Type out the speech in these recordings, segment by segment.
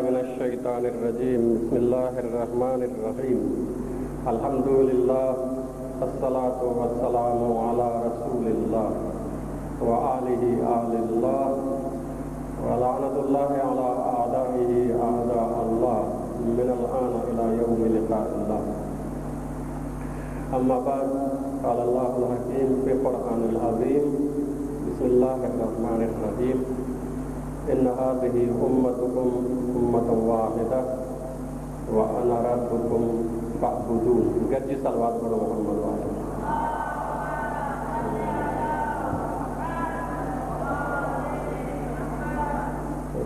من الشيطان الرجيم بسم الله الرحمن الرحيم الحمد لله الصلاة والسلام على رسول الله وآله آل الله ولعنة الله على أعدائه أعداء الله من الآن إلى يوم لقاء الله أما بعد قال الله الحكيم في القرآن العظيم بسم الله الرحمن الرحيم إن هذه أمتكم أمة واحدة وأنا ربكم فاعبدون گڏجي صلوات پڙهو محمد وارن.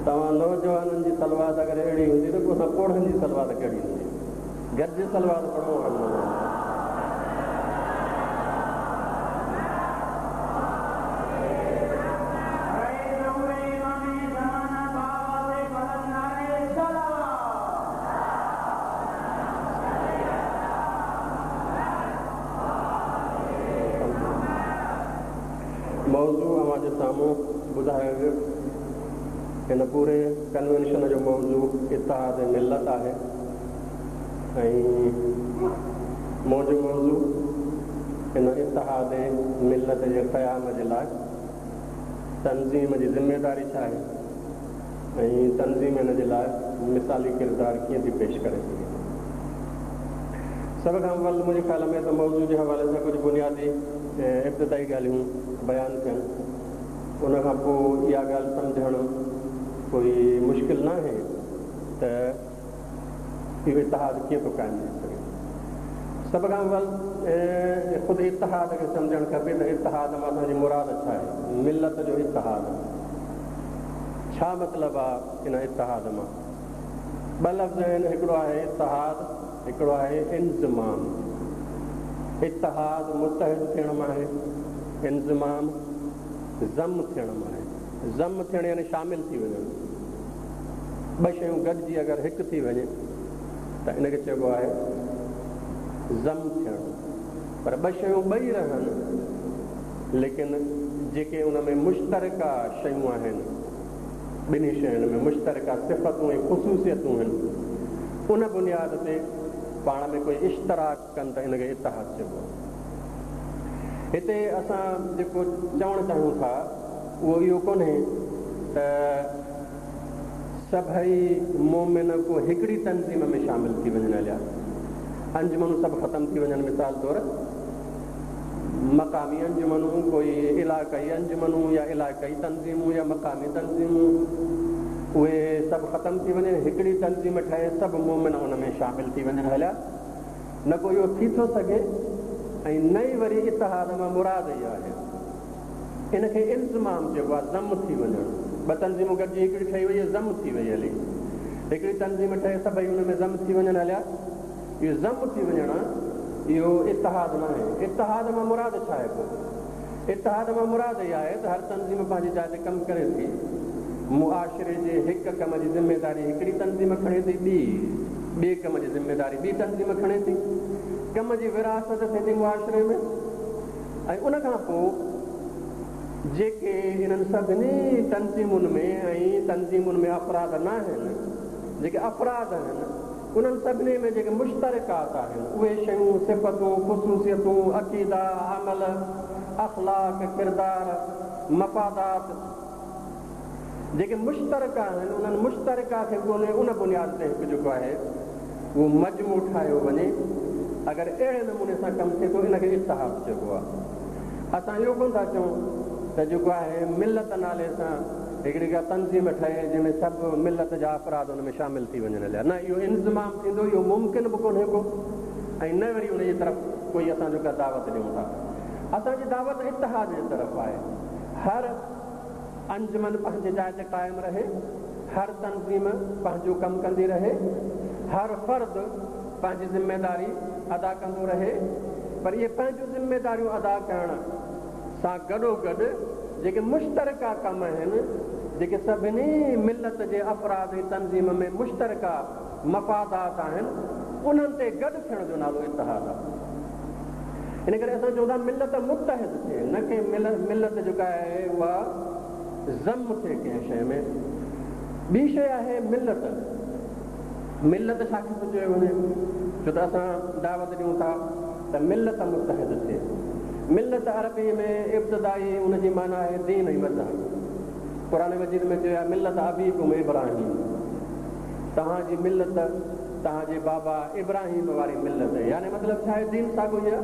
توهان نوجوانن جي صلوات اگر اهڙي هوندي ته پوء اسان پوڙهن جي صلوات ڪهڙي هوندي. گڏجي صلوات پڙهو محمد وارن. موضوع اوهان جي سامهون ٻڌايو ويو. هن پوري ڪنوينشن جو موضوع اتحاد ملت آهي ۽ منهنجو موضوع ان اتحاد ملت جي قيام جي لاء تنظيم جي ذميداري ڇا آهي ۽ تنظيم ان جي لاء مثالي ڪردار ڪيئن ٿي پيش ڪري سگهي. سڀ کان اول منهنجي خيال ۾ ته موضوع جي حوالي سان ڪجهه بنيادي ابتدائي ڳالهيون بيان ٿين. ان کان پوء اها ڳالهه سمجهڻ ڪوئي مشڪل ناهي ته اهو اتحاد ڪيئن ٿو قائم ٿي سگهي. سڀ کان اول خود اتحاد کي سمجهڻ کپي ته اتحاد مان اسان جي مراد ڇا آهي؟ ملت جو اتحاد. ڇا مطلب آ ان اتحاد مان؟ ٻه لفظ آهن، هڪڙو آهي اتحاد، هڪڙو آهي انضمام. اتحاد متحد ٿيڻ مان آهي، انضمام ضم ٿيڻ مان آهي. ضم ٿيڻ يعني شامل ٿي وڃڻ. ٻه شيون گڏجي اگر هڪ ٿي وڃي ته ان کي چئبو آهي ضم ٿيڻ. پر ٻه شيون ٻئي رهن ليڪن جيڪي ان ۾ مشترڪه شيون آهن، ٻنهي شين ۾ مشترڪه صفتون ۽ خصوصيتون آهن، ان بنياد تي پاڻ ۾ ڪوئي اشتراڪ ڪن ته ان کي اتحاد چئبو آهي. هتي اسان جيڪو چوڻ چاهيون ٿا اهو اهو ڪونهي ته سڀئي مؤمن ڪو هڪڙي تنظيم ۾ شامل ٿي وڃن هليا، انجمنون سڀ ختم ٿي وڃن مثال طور مقامي انجمنون، ڪوئي علائقائي انجمنون يا علائقائي تنظيمون يا مقامي تنظيمون اهي سڀ ختم ٿي وڃن، هڪڙي تنظيم ٺهي سڀ مؤمن ان ۾ شامل ٿي وڃن هليا، نه ڪو اهو ٿي ٿو سگهي ۽ نه ئي وري اتحاد مان مراد اها آهي. ان کي انضمام چئبو آهي، ضم ٿي وڃڻ. ٻه تنظيمون گڏجي هڪڙي ٺهي وئي، ضم ٿي وئي هلي. هڪڙي تنظيم ٺهي سڀئي ان ۾ ضم ٿي وڃن هليا. اهو ضم ٿي وڃڻ اهو اتحاد ناهي. اتحاد مان مراد ڇا آهي پوء؟ اتحاد مان مراد اها آهي ته هر تنظيم پنهنجي جاء تي ڪم ڪري ٿي. معاشري جي هڪ ڪم جي ذميداري هڪڙي تنظيم کڻي ٿي، ٻي ٻئي ڪم جي ذميداري ٻي تنظيم کڻي ٿي. ڪم جي ورهاست ٿئي ٿي معاشري ۾. ۽ ان کان پوء جيڪي انهن سڀني تنظيمن ۾ ۽ تنظيمن ۾ افراد ناهن، جيڪي افراد آهن، انهن سڀني ۾ جيڪي مشترڪات آهن، اهي شيون، صفتون، خصوصيتون، عقيدا، عمل، اخلاق، ڪردار، مفادات، جيڪي مشترڪه آهن، انهن مشترڪه کي ڳولي ان بنياد تي هڪ جيڪو آهي اهو مجموعو ٺاهيو وڃي. اگر اهڙي نموني سان ڪم ٿئي ٿو ان کي اتحاد چئبو آهي. اسان اهو ڪونه ٿا چئون ته جيڪو آهي ملت نالي سان هڪڙي ڪا تنظيم ٺهي جنهن ۾ سڀ ملت جا افراد ان ۾ شامل ٿي وڃن هليا. نه اهو انضمام ٿيندو، اهو ممڪن به ڪونهي ڪو ۽ نه وري ان جي طرف ڪوئي اسان جو ڪا دعوت ڏيون ٿا. اسان جي دعوت اتحاد جي طرف آهي. هر انجمن پنهنجي جاء تي قائم رهي، هر تنظيم پنهنجو ڪم ڪندي رهي، هر فرد پنهنجي ذميداري ادا ڪندو رهي، پر اهي پنهنجون ذميداريون ادا ڪرڻ سان گڏوگڏ جيڪي مشترڪه ڪم آهن، جيڪي سڀني ملت جي افراد ۽ تنظيم ۾ مشترڪه مفادات آهن، انهن تي گڏ ٿيڻ جو نالو اتحاد آهي. ان ڪري اسان چئون ٿا ملت متحد ٿئي نه ڪي ملت جيڪا آهي اها ضم ٿئي ڪنهن شيء ۾. ٻي شيء آهي ملت. ملت ڇا کي ٿو چيو وڃي؟ ڇو ته اسان دعوت ڏيون ٿا ته ملت متحد ٿئي. ملت عربيء ۾ ابتدائي ان جي معنيٰ آهي دين ۽ مذهب. قرآن مجيد ۾ چيو آهي ملت ابيڪم ابراهيم توهان جي ملت توهان جي بابا ابراهيم واري ملت يعني مطلب ڇا آهي دين ساڳيو ئي آهي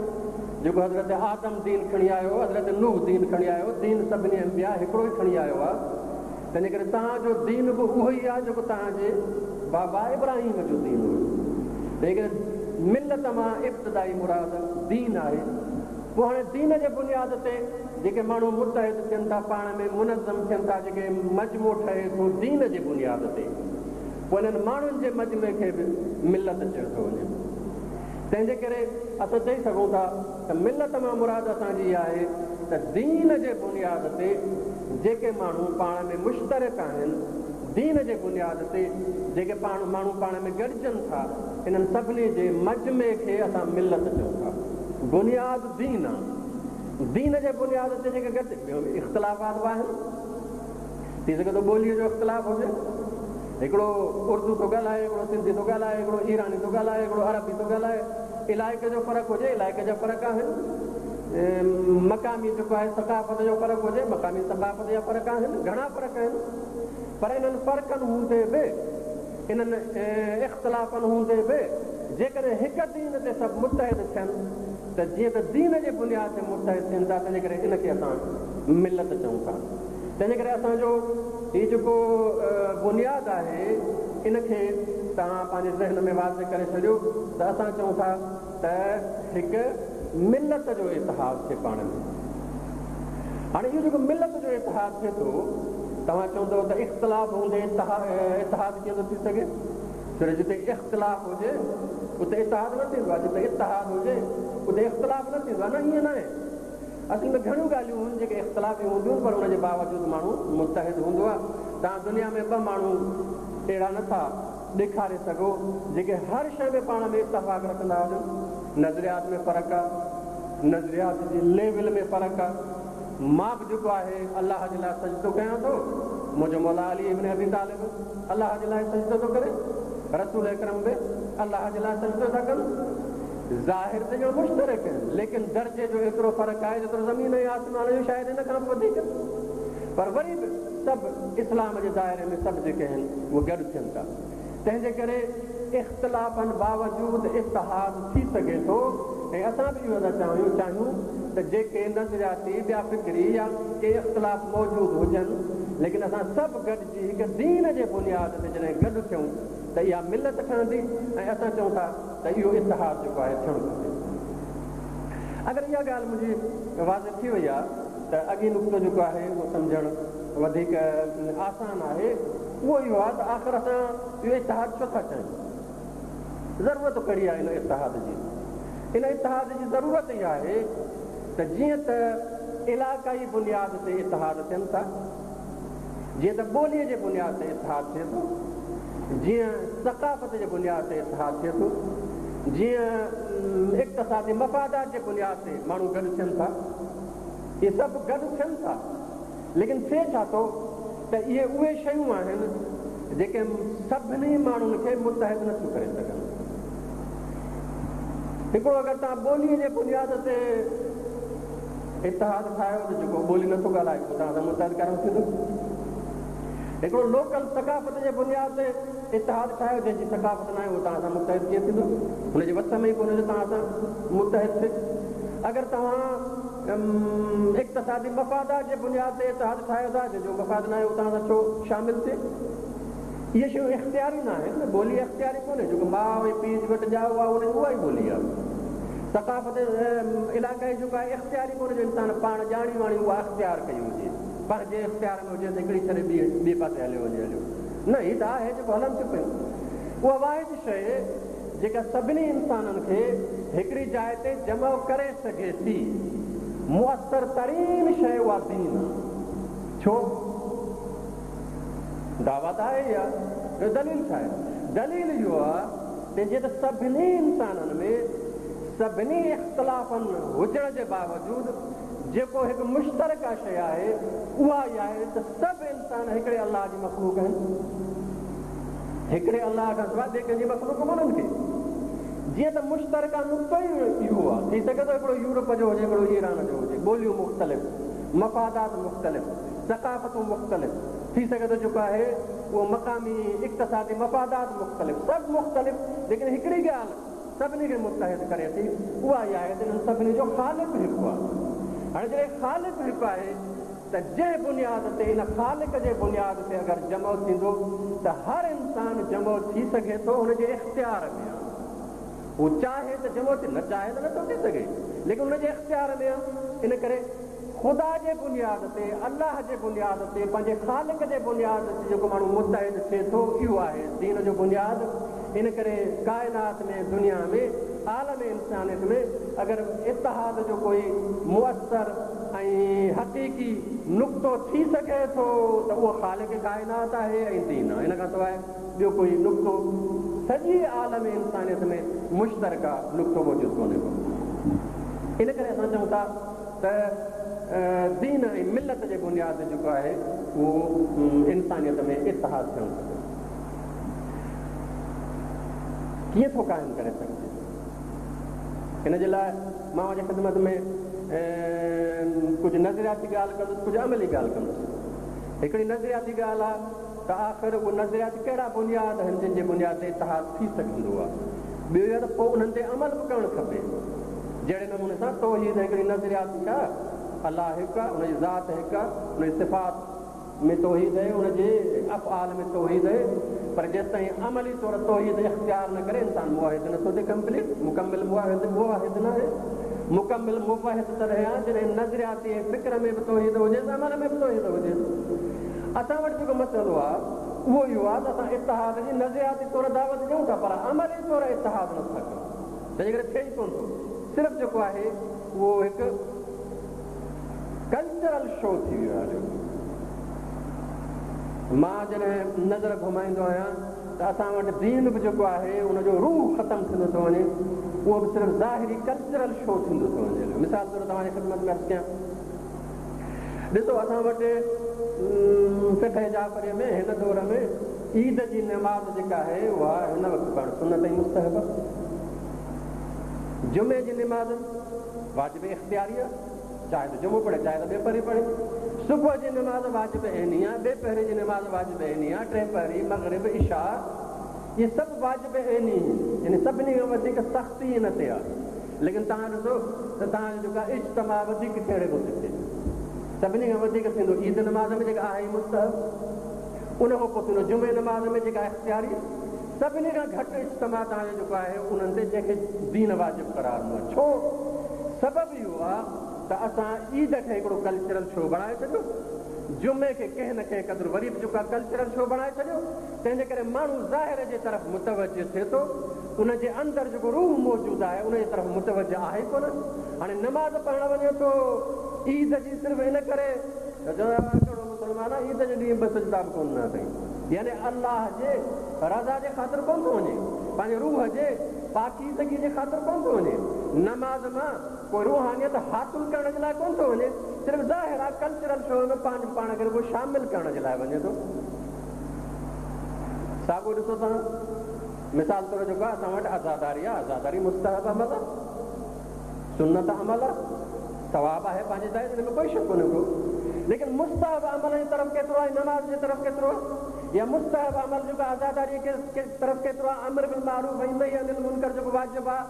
جيڪو حضرت آدم دين کڻي آيو حضرت نوح دين کڻي آيو دين سڀني انبياء هڪڙو ئي کڻي آيو آهي تنهنجي ڪري توهان جو دين به اهو ئي آهي جيڪو توهان جي بابا ابراهيم جو دين هيو. تنهنجي ڪري ملت مان ابتدائي مراد دين آهي. پوء هاڻي دين جي بنياد تي جيڪي ماڻهو متحد ٿين ٿا، پاڻ ۾ منظم ٿين ٿا، جيڪي مجموعو ٺهي ٿو دين جي بنياد تي، پوء انهن ماڻهن جي مجمعي کي به ملت چيو ٿو وڃي. تنهنجي ڪري اسان چئي سگهون ٿا ته ملت مان مراد اسان جي اها آهي ته دين جي بنياد تي جيڪي ماڻهو پاڻ ۾ مشترڪ آهن، دين جي بنياد تي جيڪي پاڻ ماڻهو پاڻ ۾ گڏجن ٿا، انهن سڀني جي مجمعي کي اسان ملت چئون ٿا. بنياد دين آ. دين جي بنياد تي جيڪي گڏ اختلافات به آهن. ٿي سگهي ٿو ٻوليء جو اختلاف هجي. هڪڙو اردو ٿو ڳالهائي، هڪڙو سنڌي ٿو ڳالهائي، هڪڙو ايراني ٿو ڳالهائي، هڪڙو عربي ٿو ڳالهائي. علائقي جو فرق هجي، علائقي جا فرق آهن. مقامي جيڪو آهي ثقافت جو فرق هجي، مقامي ثقافت جا فرق آهن، گهڻا فرق آهن. پر انهن فرقن هوندي به، انهن اختلافن هوندي به جيڪڏهن هڪ دين تي سڀ متحد ٿين ته جيئن ته دين جي بنياد تي متحد ٿين ٿا تنهنجي ڪري ان کي اسان ملت چئون ٿا. تنهنجي ڪري اسان جو هي جيڪو بنياد آهي ان کي توهان پنهنجي ذهن ۾ واضح ڪري ڇڏيو ته اسان چئون ٿا ته هڪ ملت جو اتحاد ٿئي پاڻ ۾. هاڻي اهو جيڪو ملت جو اتحاد ٿئي ٿو توهان چوندؤ ته اختلاف هوندي اتحاد ڪيئن ٿو ٿي سگهي؟ ڇو ته جتي اختلاف هجي اتي اتحاد نه ٿيندو آهي، جتي اتحاد هجي اتي اختلاف نه ٿيندو آهي. نه ائين ناهي. اصل ۾ گهڻيون ڳالهيون هن جيڪي اختلافي هونديون آهن پر ان جي باوجود ماڻهو متحد هوندو آهي. توهان دنيا ۾ ٻه ماڻهو اهڙا نه ٿا ڏيکاري سگهو جيڪي هر شيء ۾ پاڻ ۾ اتفاق رکندا هجن. نظريات ۾ فرق آهي، نظريات جي ليول ۾ فرق آهي. مان به جيڪو آهي الله جي لاء سجدو ڪيان ٿو، منهنجو مولا علي ابن ابي طالب الله جي لاء سجدو ٿو ڪري، رسول اڪرم به الله جي لاء سجدو ٿا ڪن. ظاهر ته ڄڻ مشترڪ آهن، ليڪن درجي جو ايترو فرق آهي جيترو زمين ۽ آسمان جو شايد ان کان به وڌيڪ. پر وري به سڀ اسلام جي دائري ۾ سڀ جيڪي آهن اهي گڏ ٿين ٿا. تنهن جي ڪري اختلافن باوجود اتحاد ٿي سگهي ٿو ۽ اسان به اهو ٿا چاهيون چاهيون ته جيڪي نظرياتي ٻيا فڪري يا ڪي اختلاف موجود هجن ليڪن اسان سڀ گڏجي هڪ دين جي بنياد تي جڏهن گڏ ٿيون ته اها ملت ٺهندي ۽ اسان چئون ٿا ته اهو اتحاد جيڪو آهي ٿيڻ گهرجي. اگر اها ڳالهه منهنجي واضح ٿي وئي آهي ته اڳئين نقطو جيڪو آهي اهو سمجهڻ وڌيڪ آسان آهي اهو اهو آهي ته آخر اسان اهو اتحاد ڇو ٿا چاهيون؟ ضرورت ڪهڙي آهي ان اتحاد جي؟ ان اتحاد جي ضرورت اها آهي ته جيئن ته علاقائي بنياد تي اتحاد ٿين ٿا، جيئن ته ٻوليء جي بنياد تي اتحاد ٿئي ٿو، جيئن ثقافت جي بنياد تي اتحاد ٿئي ٿو، جيئن اقتصادي مفادات جي بنياد تي ماڻهو گڏ ٿين ٿا، اهي سڀ گڏ ٿين ٿا، ليڪن ٿئي ڇا ٿو ته اهي اهي شيون آهن جيڪي سڀني ماڻهن کي متحد نه ٿيون ڪري سگهن. هڪڙو اگر توهان ٻوليء جي بنياد تي اتحاد ٺاهيو ته جيڪو ٻولي نٿو ڳالهائي اهو توهان سان متحد ڪانه ٿيندو. هڪڙو لوڪل ثقافت جي بنياد تي اتحاد ٺاهيو جنهن جي ثقافت ناهي اهو توهان سان متحد ڪيئن ٿيندو؟ هن جي وس ۾ ئي ڪونهي جو توهان سان متحد ٿئي. اگر توهان اقتصادي مفادات جي بنياد تي اتحاد ٺاهيو ٿا جنهن جو مفاد ناهي اهو توهان سان ڇو شامل ٿئي؟ اهي شيون اختياري نه آهن، ٻولي اختياري ڪونهي، جيڪو ماء ۽ پيء جي وٽ ڄائو آهي ان جي اها ئي ٻولي آهي. ثقافت علاقائي جيڪو آهي اختياري ڪونهي جو انسان پاڻ ڄاڻي واڻي اها اختيار ڪئي هجي، پنهنجي اختيار ۾ هجي ته هڪڙي ڇڏي ٻي ٻئي پاسي هليو وڃي هليو نه هي ته آهي جيڪو هلن ٿيون پيون. اها واحد شيء جيڪا سڀني انسانن کي هڪڙي جاء تي جمع ڪري سگهي ٿي، مؤثر ترين شيء اها دين آهي. ڇو؟ دعويٰ ته آهي اها، ٻيو دليل ڇا آهي؟ دليل اهو آهي ته جيئن ته سڀني انسانن ۾ سڀني اختلافن هجڻ جي باوجود جيڪو هڪ مشترڪه شيء آهي اها اها آهي ته سڀ انسان هڪڙي الله جي مخلوق آهن. هڪڙي الله کان سواء ٻئي ڪنهن جي مخلوق ڪونهن ڪي. جيئن ته مشترڪه نقطو ئي اهو آهي. ٿي سگهي ٿو هڪڙو يورپ جو هجي هڪڙو ايران جو هجي. ٻوليون مختلف، مفادات مختلف، ثقافتون مختلف، ٿي سگهي ٿو جيڪو آهي اهو مقامي اقتصادي مفادات مختلف، سڀ مختلف ليڪن هڪڙي ڳالهه سڀني کي متحد ڪري ٿي اها اها آهي ته انهن سڀني جو خالق هڪ آهي. هاڻي جڏهن خالق هڪ آهي ته جنهن بنياد تي ان خالق جي بنياد تي اگر جمع ٿيندو ته هر انسان جمع ٿي سگهي ٿو هن جي اختيار ۾ آهي. هو چاهي ته جمع ٿئي نه چاهي ته نٿو ٿي سگهي ليڪن هن جي اختيار ۾ آهي. ان ڪري خدا جي بنياد تي، الله جي بنياد تي، پنهنجي خالق جي بنياد تي جيڪو ماڻهو متحد ٿئي ٿو اهو آهي دين جو بنياد. ان ڪري ڪائنات ۾ دنيا ۾ عالم انسانيت ۾ اگر اتحاد جو ڪوئي مؤثر ۽ حقيقي نقطو ٿي سگهي ٿو ته اهو خالق ڪائنات آهي ۽ دين آهي. ان کان سواء ٻيو ڪوئي نقطو سڄي عالم انسانيت ۾ مشترڪه نقطو موجود ڪونهي ڪو. ان ڪري اسان چئون ٿا ته دين ۽ ملت جي بنياد تي جيڪو آهي اهو انسانيت ۾ اتحاد ٿيڻ کپي. ڪيئن ٿو قائم ڪري سگهجي؟ ان جي لاء مان اوهان جي خدمت ۾ ڪجهه نظرياتي ڳالهه ڪندس، ڪجهه عملي ڳالهه ڪندس. هڪڙي نظرياتي ڳالهه آهي ته آخر اهي نظرياتي ڪهڙا بنياد آهن جن جي بنياد تي اتحاد ٿي سگهندو آهي. ٻيو اهو ته پوء انهن تي عمل به ڪرڻ کپي. جهڙي نموني سان توحيد هڪڙي نظرياتي آهي، الله هڪ آهي، ان جي ذات هڪ آهي، ان جي صفات ۾ توحيد آهي، ان جي افعال ۾ توحيد آهي، پر جيستائين عملي طور توحيد اختيار نه ڪري انسان موحد نه ٿو ٿئي ڪمپليٽ، مڪمل موحد، موحد ناهي. مڪمل موحد تڏهن آهي جڏهن نظرياتي ۽ فڪر ۾ به توحيد هجيس عمل ۾ به توحيد هجيس. اسان وٽ جيڪو مسئلو آهي اهو اهو آهي ته اسان اتحاد جي نظرياتي طور دعوت ڏيون ٿا پر عملي طور اتحاد نه ٿا ڪيون. تنهنجي ڪري ٿئي ئي ڪونه ٿو. صرف جيڪو آهي اهو هڪ ڪلچرل شو ٿي ويو آهي هليو. مان جڏهن نظر گهمائيندو آهيان ته اسان وٽ دين به جيڪو آهي ان جو روح ختم ٿيندو ٿو وڃي اهو به صرف ظاهري ڪلچرل شو ٿيندو ٿو وڃي هليو. مثال طور توهان جي خدمت ۾ عرض ڪيان ڏسو اسان وٽ فقه جعفري ۾ هن دور ۾ عيد جي نماز جيڪا آهي اها هن وقت پڙهڻ سنت ۽ مستحب آهي. جمعي جي نماز واجب اختياري آهي، چاهي ته جمعو پڙهي چاهي ته ٻئي پهري پڙهي. صبح جي نماز واجب عيني آهي، ٻئي پهري جي نماز واجب عيني آهي، ٽئين پهري، مغرب، عشاء اهي سڀ واجب عيني آهن، يعني سڀني کان وڌيڪ سختي ان تي آهي. ليڪن توهان ڏسو ته توهان جو جيڪو آهي اجتماع وڌيڪ ڪهڙي ۾ ٿو ٿئي؟ سڀني کان وڌيڪ ٿيندو عيد نماز ۾ جيڪا آهي ئي مستحب. ان کان پوء ٿيندو جمعي نماز ۾ جيڪا اختياري سڀني کان گهٽ اجتماع توهان جو جيڪو آهي انهن تي جنهن کي دين واجب قرار ڏنو آهي. ڇو؟ سبب اهو آهي ته اسان عيد کي هڪڙو ڪلچرل شو بڻائي ڇڏيو، جمعي کي ڪنهن نه ڪنهن قدر وري به جيڪو آهي ڪلچرل شو بڻائي ڇڏيو، تنهن جي ڪري ماڻهو ظاهر جي طرف متوجه ٿئي ٿو، ان جي اندر جيڪو روح موجود آهي ان جي طرف متوجه آهي ئي ڪونه. هاڻي نماز پڙهڻ وڃي ٿو عيد جي صرف ان ڪري ته چوندا آهن ڪهڙو مسلمان آهي عيد جي ڏينهن ٻه سجدا به ڪونه ڏنا اٿئي. يعني الله جي رضا جي خاطر ڪونه ٿو وڃي، پنهنجي روح جي پاڪيزگي جي خاطر ڪونه ٿو وڃي، نماز مان ڪوئي روحانيت حاصل ڪرڻ جي لاء ڪونه ٿو وڃي، صرف ظاهر آهي ڪلچرل شو ۾ پنهنجو پاڻ کي رڳو شامل ڪرڻ جي لاء وڃي ٿو. ساڳو ڏسو توهان مثال طور جيڪو آهي اسان وٽ عزاداري آهي، عزاداري مستحب عمل آهي. سنت عمل آ، ثواب آهي پنهنجي جاء تي ان ۾ ڪوئي شڪ ڪونهي ڪو، ليڪن مستحب عمل جي طرف ڪيترو آهي نماز جي طرف ڪيترو آهي يا مستحب عمل جيڪو عزاداري جي طرف ڪيترو آهي امر بالمعروف ۽ نهي عن المنڪر جيڪو واجب آهي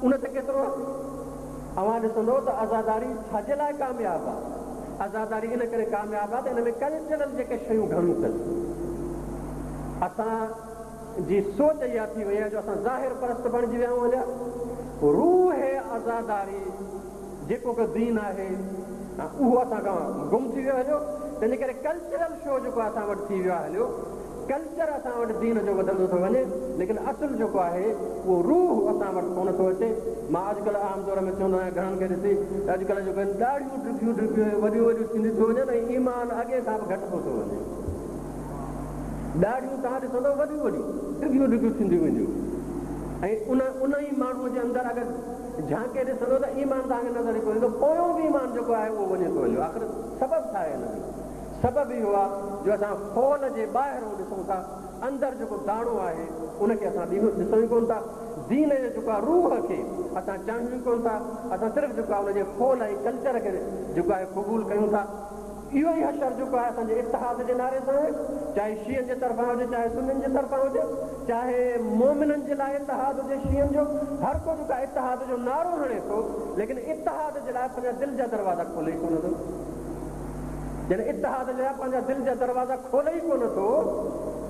ان تي ڪيترو آهي؟ اوهان ڏسندو ته عزاداري ڇا جي لاء ڪامياب آهي؟ عزاداري ان ڪري ڪامياب آهي ته ان ۾ ڪلچرل جيڪي شيون گهڻيون اٿس اسان جي سوچ اها ٿي وئي آهي جو اسان ظاهر پرست بڻجي ويا آهيون هليا. روح عزاداري جيڪو ڪو دين آهي اهو اسان کان گم ٿي ويو هليو. تنهنجي ڪري ڪلچرل شو جيڪو اسان وٽ ٿي ويو آهي هليو. ڪلچر اسان وٽ دين جو وڌندو ٿو وڃي ليڪن اصل جيڪو آهي اهو روح اسان وٽ ڪونه ٿو اچي. مان اڄڪلهه عام طور ۾ چوندو آهيان گهڻن کي ڏسي ته اڄڪلهه جيڪو آهن ڏاڙهيون ڊگهيون ڊگهيون ۽ وڏيون وڏيون ٿينديون ٿيون وڃن ۽ ايمان اڳي کان به گهٽبو ٿو وڃي. ڏاڙهيون توهان ڏسندؤ وڏيون وڏيون، ڊگهيون ڊگهيون ٿينديون وينديون ۽ ان ان ئي ماڻهوء جي اندر اگر جهانڪي ڏسندؤ ته ايمان توهان کي نظر ئي ڪونه ايندو. پويون به ايمان جيڪو آهي اهو وڃي ٿو هليو. آخر سبب ڇا آهي ان جو؟ سبب اهو آهي جو اسان خول جي ٻاهرون ڏسون ٿا، اندر جيڪو داڻو آهي، ان کي اسان ڏسون ئي ڪونه ٿا. دين جي جيڪو آهي روح کي اسان چاهيون ئي ڪونه ٿا. اسان صرف جيڪو آهي ان جي خول ۽ ڪلچر کي جيڪو آهي قبول ڪيون ٿا. اهو ئي حشر جيڪو آهي اسان جي اتحاد جي نعري سان آهي، چاهي شيعن جي طرفان هجي، چاهي سنين جي طرفان هجي، چاهي مؤمنن جي لاء اتحاد هجي شيعن جو، هر ڪو جيڪو آهي اتحاد جو نعرو هڻي ٿو، ليڪن اتحاد جي لاء پنهنجا دل جا دروازا کولي ئي ڪونه ٿو. جڏهن اتحاد جي لاء پنهنجا دل جا دروازا کولي ئي ڪونه ٿو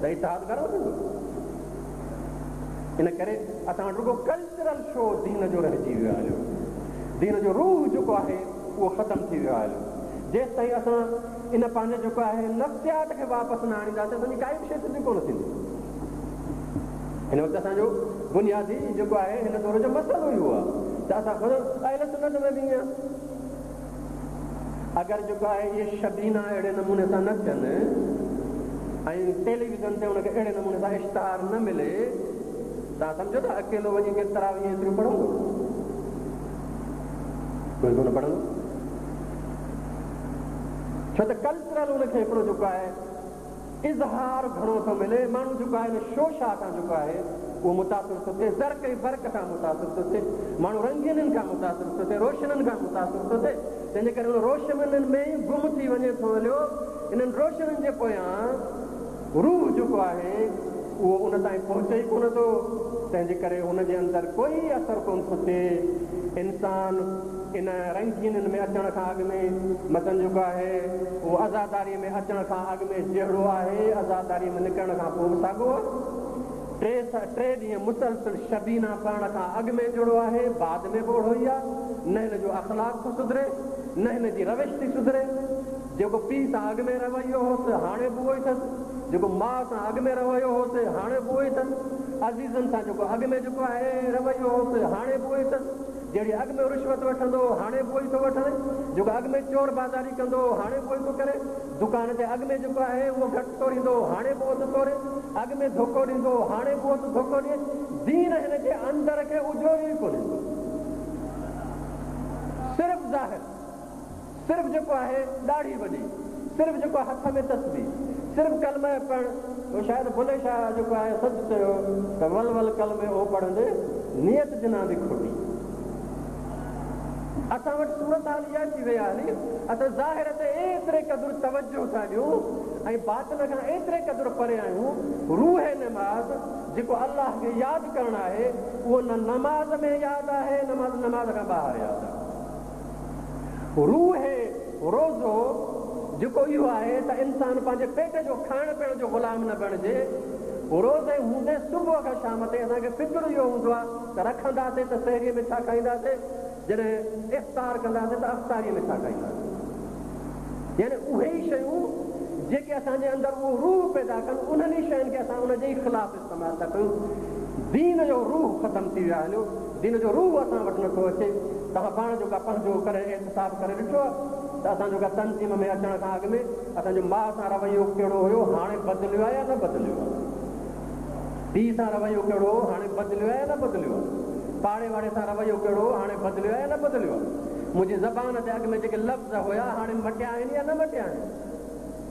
ته اتحاد گهڻو ٿيندو؟ ان ڪري اسان وٽ رڳو ڪلچرل شو دين جو رهجي ويو آهي. دين جو روح جيڪو آهي اهو ختم ٿي ويو آهي. جيستائين اسان ان پنهنجي جيڪو آهي نفسيات کي واپس نه آڻينداسين اسان جي ڪائي به شيء سڌي ڪونه ٿيندي. هن وقت اسان جو بنيادي جيڪو آهي هن دور جو مسئلو اهو آهي ته اسان خود اهل سنت ۾ به ائين اگر جيڪو آهي اهي شبينا اهڙي نموني سان نه ٿين ۽ ٽيليويزن تي ان کي اهڙي نموني سان اشتهار نه ملي توهان سمجهو ٿا اڪيلو وڃي ڪير تراويح ايتريون پڙهندو؟ ڪوئي ڪونه پڙهندو. ڇو ته ڪلچرل ان کي هڪڙو جيڪو آهي اظهار گهڻو ٿو ملي، ماڻهو جيڪو آهي ان شوشا کان جيڪو آهي اهو متاثر ٿو ٿئي، زرق ۽ برق کان متاثر ٿو ٿئي، ماڻهو رنگينين کان متاثر ٿو ٿئي، روشنين کان متاثر ٿو ٿئي، تنهن جي ڪري ان روشنين ۾ ئي گم ٿي وڃي ٿو هليو، انهن روشنين جي پويان روح جيڪو آهي اهو ان تائين پهچي ئي ڪونه ٿو، تنهن جي ڪري هن جي اندر ڪوئي اثر ڪونه ٿو ٿئي. انسان ان رنگينين ۾ اچڻ کان اڳ ۾ مثلاً جيڪو آهي اهو عزاداريء ۾ اچڻ کان اڳ ۾ جهڙو آهي، عزاداريء ۾ نڪرڻ کان پوء به ساڳو آهي. ٽي ڏينهن مسلسل شبينا پڙهڻ کان اڳ ۾ جهڙو آهي، بعد ۾ به اوڙو ئي آهي. نه هن جو اخلاق ٿو سڌري، نه هن جي روش ٿي سڌري. جيڪو پيء سان اڳ ۾ رويو هوس، هاڻي به اهو ئي اٿس. جيڪو ماء سان اڳ ۾ رويو هوس، هاڻي به اهو ئي اٿس. عزيزن سان جيڪو اڳ ۾ جيڪو آهي رويو هوس، هاڻي به اهو ئي اٿس. جهڙي اڳ ۾ رشوت وٺندو هو، هاڻي به اهو ئي ٿو وٺي. جيڪو اڳ ۾ چور بازاري ڪندو هو، هاڻي به اهو ئي ٿو ڪري. دڪان تي اڳ ۾ جيڪو آهي اهو گهٽ توريندو هو، هاڻي به اهو ٿو توري. اڳ ۾ ڌوڪو ڏيندو هو، هاڻي به اهو ٿو ڌوڪو ڏئي. دين هن جي اندر کي اجوريو ئي ڪونهي ٿو. صرف ظاهر. صرف جيڪو آهي ڏاڙهي وڏي، صرف جيڪو آهي هٿ ۾ تسبيح، صرف ڪلمه پڙهڻ، اهو شايد بلهي شاهه جيڪو آهي سچ چيو ته ول ول ڪلمي او پڙهندي نيت جنان the کوٽي. اسان وٽ صورتحال اها ٿي وئي آهي اسان ظاهر تي ايتري قدر توجه ٿا ڏيون ۽ باطن کان ايتري قدر پري آهيون، روح نماز جيڪو الله کي ياد ڪرڻ آهي اهو نه نماز ۾ ياد آهي نه نماز کان ٻاهر ياد آهي. روح روزو جيڪو اهو آهي ته انسان پنهنجي پيٽ جو کائڻ پيئڻ جو غلام نه بڻجي. روزي هوندي صبح کان شام تائين اسان کي فڪر اهو هوندو آهي ته رکنداسين ته سحريء ۾ ڇا کائينداسين، جڏهن افطار ڪنداسين ته افطاريء ۾ ڇا کائينداسين. يعني اهي ئي شيون جيڪي اسان جي اندر اهو روح پيدا ڪن، انهن ئي شين کي اسان ان جي ئي خلاف استعمال ٿا ڪيون. دين جو روح ختم ٿي ويو آهي هليو. دين جو روح اسان وٽ نٿو اچي. توهان پاڻ جيڪا پنهنجو ڪڏهن احتساب ڪري ڏٺو آهي ته اسان جو ڪا تنظيم ۾ اچڻ کان اڳ ۾ اسان جو ماء سان رويو ڪهڙو هيو هاڻي بدليو آهي يا نه بدليو آهي؟ پيء سان رويو ڪهڙو هو هاڻي بدليو آهي يا نه بدليو آهي؟ پاڙي واري سان رويو ڪهڙو هو هاڻي بدليو آهي يا نه بدليو آهي؟ منهنجي زبان تي اڳ ۾ جيڪي لفظ هيا هاڻي مٽيا آهن يا نه مٽيا آهن؟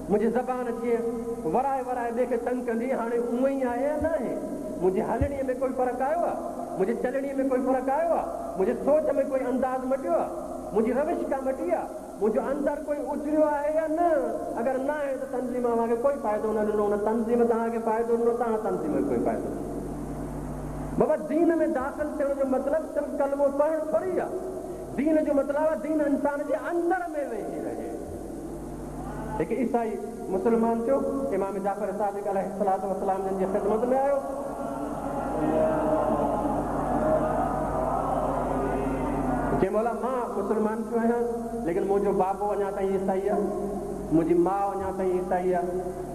منهنجي زبان جيئن ورائي ورائي ٻئي کي تنگ ڪندي هاڻي اونئن ئي آهي يا ناهي؟ منهنجي هلڻيء ۾ ڪوئي فرق آيو آ؟ منهنجي چلڻيء ۾ ڪوئي فرق آيو آ؟ منهنجي سوچ ۾ ڪوئي انداز مٽيو آ؟ منهنجي روش ڪا مٽي آ؟ منهنجو اندر ڪوئي اجريو آهي يا نه؟ اگر ناهي ته تنظيم اوهان کي ڪوئي فائدو نه ڏنو، نه تنظيم توهان کي فائدو ڏنو، توهان تنظيم کي ڪوئي فائدو نه ڏنو. بابا دين ۾ داخل ٿيڻ جو مطلب صرف ڪلمو پڙهڻ ٿوري آ. دين جو مطلب آ دين انسان جي اندر ۾ ويهي رهي. هڪ عيسائي مسلمان ٿيو، امام جعفر صادق عليه الصلوة والسلام جن جي خدمت ۾ آيو. چيائين مولا مان مسلمان ٿيو آهيان، ليڪن منهنجو بابو اڃا تائين عيسائي آهي، منهنجي ماء اڃا تائين عيسائي آهي،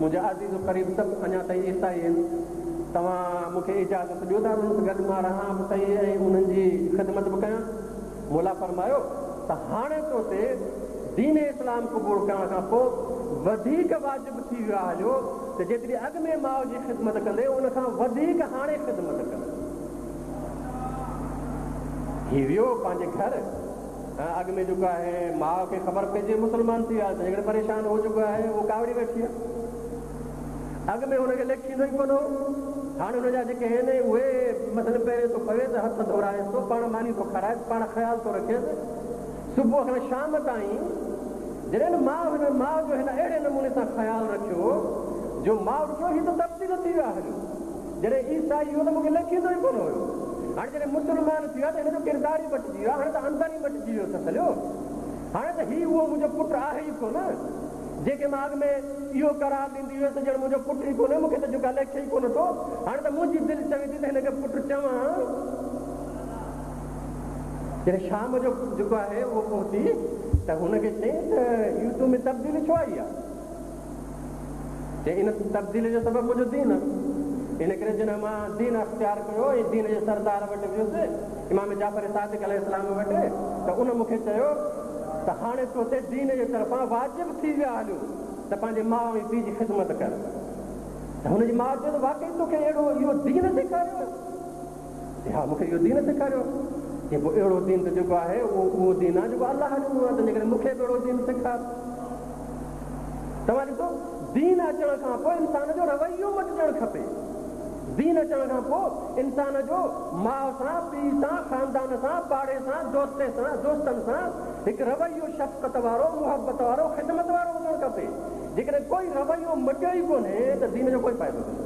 منهنجا عزيز و قريب سڀ اڃا تائين عيسائي آهن، توهان مون کي اجازت ڏيو ته انهن سان گڏ مان رهان به سهي ۽ انهن جي خدمت به ڪيان. مولا فرمايو ته هاڻي تو تي دين اسلام قبول ڪرڻ کان پوء وڌيڪ واجب ٿي ويو آهي هليو ته جيتري اڳ ۾ ماء جي خدمت ڪندي ان کان وڌيڪ هاڻي خدمت ڪر. هي ويو پنهنجي گهر اڳ ۾ جيڪو آهي ماء کي خبر پئجي مسلمان ٿي ويو آهي تنهن ڪري پريشان هو جيڪو آهي اهو ڪاوڙي ويٺي آهي. اڳ ۾ هن کي ليکيندو ئي ڪونه هو. هاڻي هن جا جيڪي آهن اهي مثلاً پيري ٿو پويس، هٿ ڌورائيس ٿو، پاڻ ماني ٿو کارائيس، پاڻ خيال ٿو رکيس. صبح کان شام تائين جڏهن ماء هن ماء جو هن اهڙي نموني سان خيال رکيو جو ماء ڏٺو هي ته تبديل ٿي ويو آهي هليو. جڏهن عيسائي هو ته مون کي ليکيندو ئي ڪونه هيو. هاڻي جڏهن مسلمان ٿي ويو آهي ته هن جو ڪردار ئي مٽجي ويو آهي. هاڻي ته اندر ئي مٽجي ويو اٿس هليو. هاڻي ته هي اهو منهنجو پٽ آهي ئي ڪونه. جنهن کي مان اڳ ۾ اهو قرار ڏيندي هيس ته ڄڻ منهنجو پٽ ئي ڪونهي، مون کي ته جيڪا ليکي ئي ڪونه ٿو، هاڻي ته منهنجي دل چوي ٿي ته هن کي پٽ چوان. جڏهن شام جو جيڪو آهي اهو پهتي ته هن کي چيائين ته اهو تو ۾ تبديلي ڇو آئي آهي؟ چيائين ان تبديلي جو سبب منهنجو دين آهي. ان ڪري جڏهن مان دين اختيار ڪيو ۽ دين جي سردار وٽ ويس، امام جعفر صادق عليه السلام وٽ، ته ان مون کي چيو ته هاڻي تو تي دين جي طرفان واجب ٿي ويا هليو ته پنهنجي ماء ۽ پيء جي خدمت ڪر. ته هن جي ماء چيو ته واقعي توکي اهڙو اهو دين سيکاريو آهي؟ چي ها مون کي اهو دين سيکاريو آهي. چي پوء اهڙو دين ته جيڪو آهي اهو اهو دين آهي جيڪو الله ڏنو آهي، تنهنجي ڪري مون کي به اهڙو دين سيکار. توهان ڏسو دين اچڻ کان پوء انسان جو رويو مٽجڻ کپي. دين اچڻ کان پوء انسان جو ماء سان، پيء سان، خاندان سان، پاڙي سان، دوستي سان، دوستن سان هڪ رويو شفقت وارو، محبت وارو، خدمت وارو هجڻ کپي. جيڪڏهن ڪوئي رويو مٽيو ئي ڪونهي ته دين جو ڪوئي فائدو ڪونهي.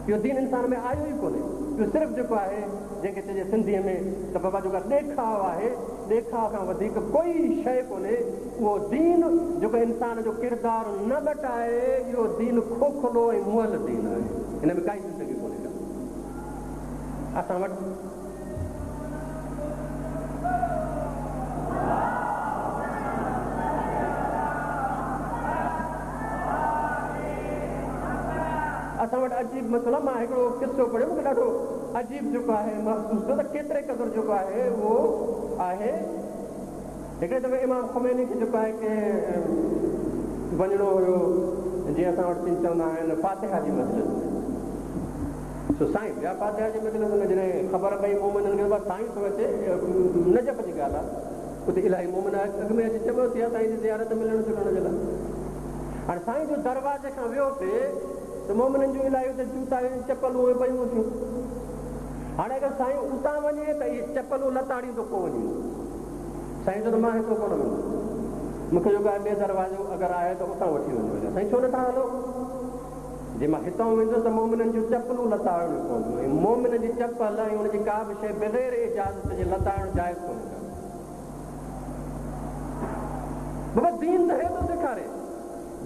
اهو دين انسان ۾ آيو ئي ڪونهي. اهو صرف جيڪو آهي جنهن کي چئجي سنڌيء ۾ ته بابا جيڪا ڏيکاء آهي، ڏيکاء کان وڌيڪ ڪوئي شيء ڪونهي. اهو دين جيڪو انسان جو ڪردار نه مٽائي، اهو دين کوکلو ۽ مئل دين آهي. ان ۾ ڪائي زندگي ڪونهي ڪا. اسان وٽ. اسان وٽ عجيب مسئلا مان هڪڙو قصو پڙهيو مون کي ڏاڍو عجيب جيڪو آهي محسوس ٿيو ته ڪيتري قدر جيڪو آهي اهو آهي. هڪڙي دفعي امام خميني کي جيڪو آهي ڪي وڃڻو هيو جيئن اسان وٽ چوندا آهن فاتحه جي مجلس ۾ سو سائين ويا فاتحه جي مجلس ۾ جڏهن خبر پئي مومنن کي بس سائين ٿو اچي نجف جي ڳالهه آهي اتي الاهي مومن اڳ ۾ اچي جمع ٿيا سائين جي زيارت ملڻ جلڻ جي لاء هاڻي سائين جو دروازي کان ويو پي ته مومنن جون الاهي اتي جوتا ۽ چپلون پيون ٿيون هاڻي اگر سائين اتان وڃي ته اهي چپلون لتاڙيندو ڪو وڃي سائين چيو ته مان هتو ڪونه ويندس. مون کي جيڪو آهي ٻئي دروازو اگر آهي ته اتان وٺي وڃو. سائين ڇو نٿا هلو؟ جي مان هتان ويندس ته مومنن جون چپلون لتاڙڻيون پونديون ۽ مومن جي چپل ۽ ان جي ڪا به شيء بغير اجازت جي لتاڙڻ جائز ڪونهي ڪا. بابا دين ته هي ٿو سيکاري.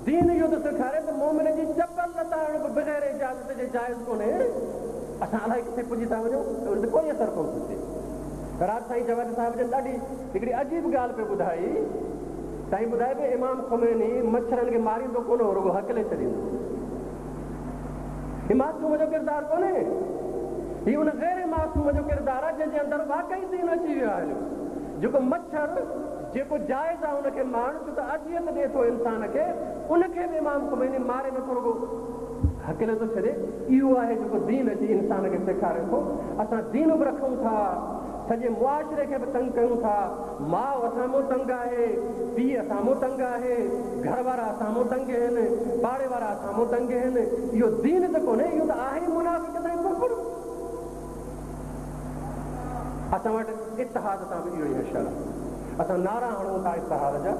دين اهو ٿو سيکاري ته مومن جي چپل لتاڙڻ به بغير اجازت جي جائز ڪونهي. اسان الائي ڪٿي پڄي ٿا وڃون ته ان تي ڪوئي اثر ڪونه ٿو ٿئي. رات سائين جواد صاحب جن ڏاڍي هڪڙي عجيب ڳالهه پئي ٻڌائي. سائين ٻڌائي پيو امام خميني مڇرن کي ماريندو ڪونه هو رڳو هڪلي ڇڏيندو هو. هي معصوم جو ڪردار ڪونهي. هي ان غير معصوم جو ڪردار آهي جنهن جي اندر واقعي دين اچي ويو آهي. جيڪو مڇر جيڪو جائز آهي ان کي مارڻ ڇو ته اذيت ڏئي ٿو انسان کي ان کي به امام خميني ماري نٿو رڳو هڪلي ٿو ڇڏي. اهو آهي جيڪو دين اچي انسان کي سيکاري ٿو. اسان دين به رکون ٿا سڄي معاشري کي به تنگ ڪيون ٿا. ماء اسان مون تنگ آهي، پيء اسان مون تنگ آهي، گهر وارا اسان مون تنگ آهن، پاڙي وارا اسان مون تنگ آهن. اهو دين ته ڪونهي اهو ته آهي ئي منافقت ۽ ڪفر. اسان وٽ اتحاد سان به اهو ئي حشر آهي. اسان نعرا هڻون ٿا اتحاد جا،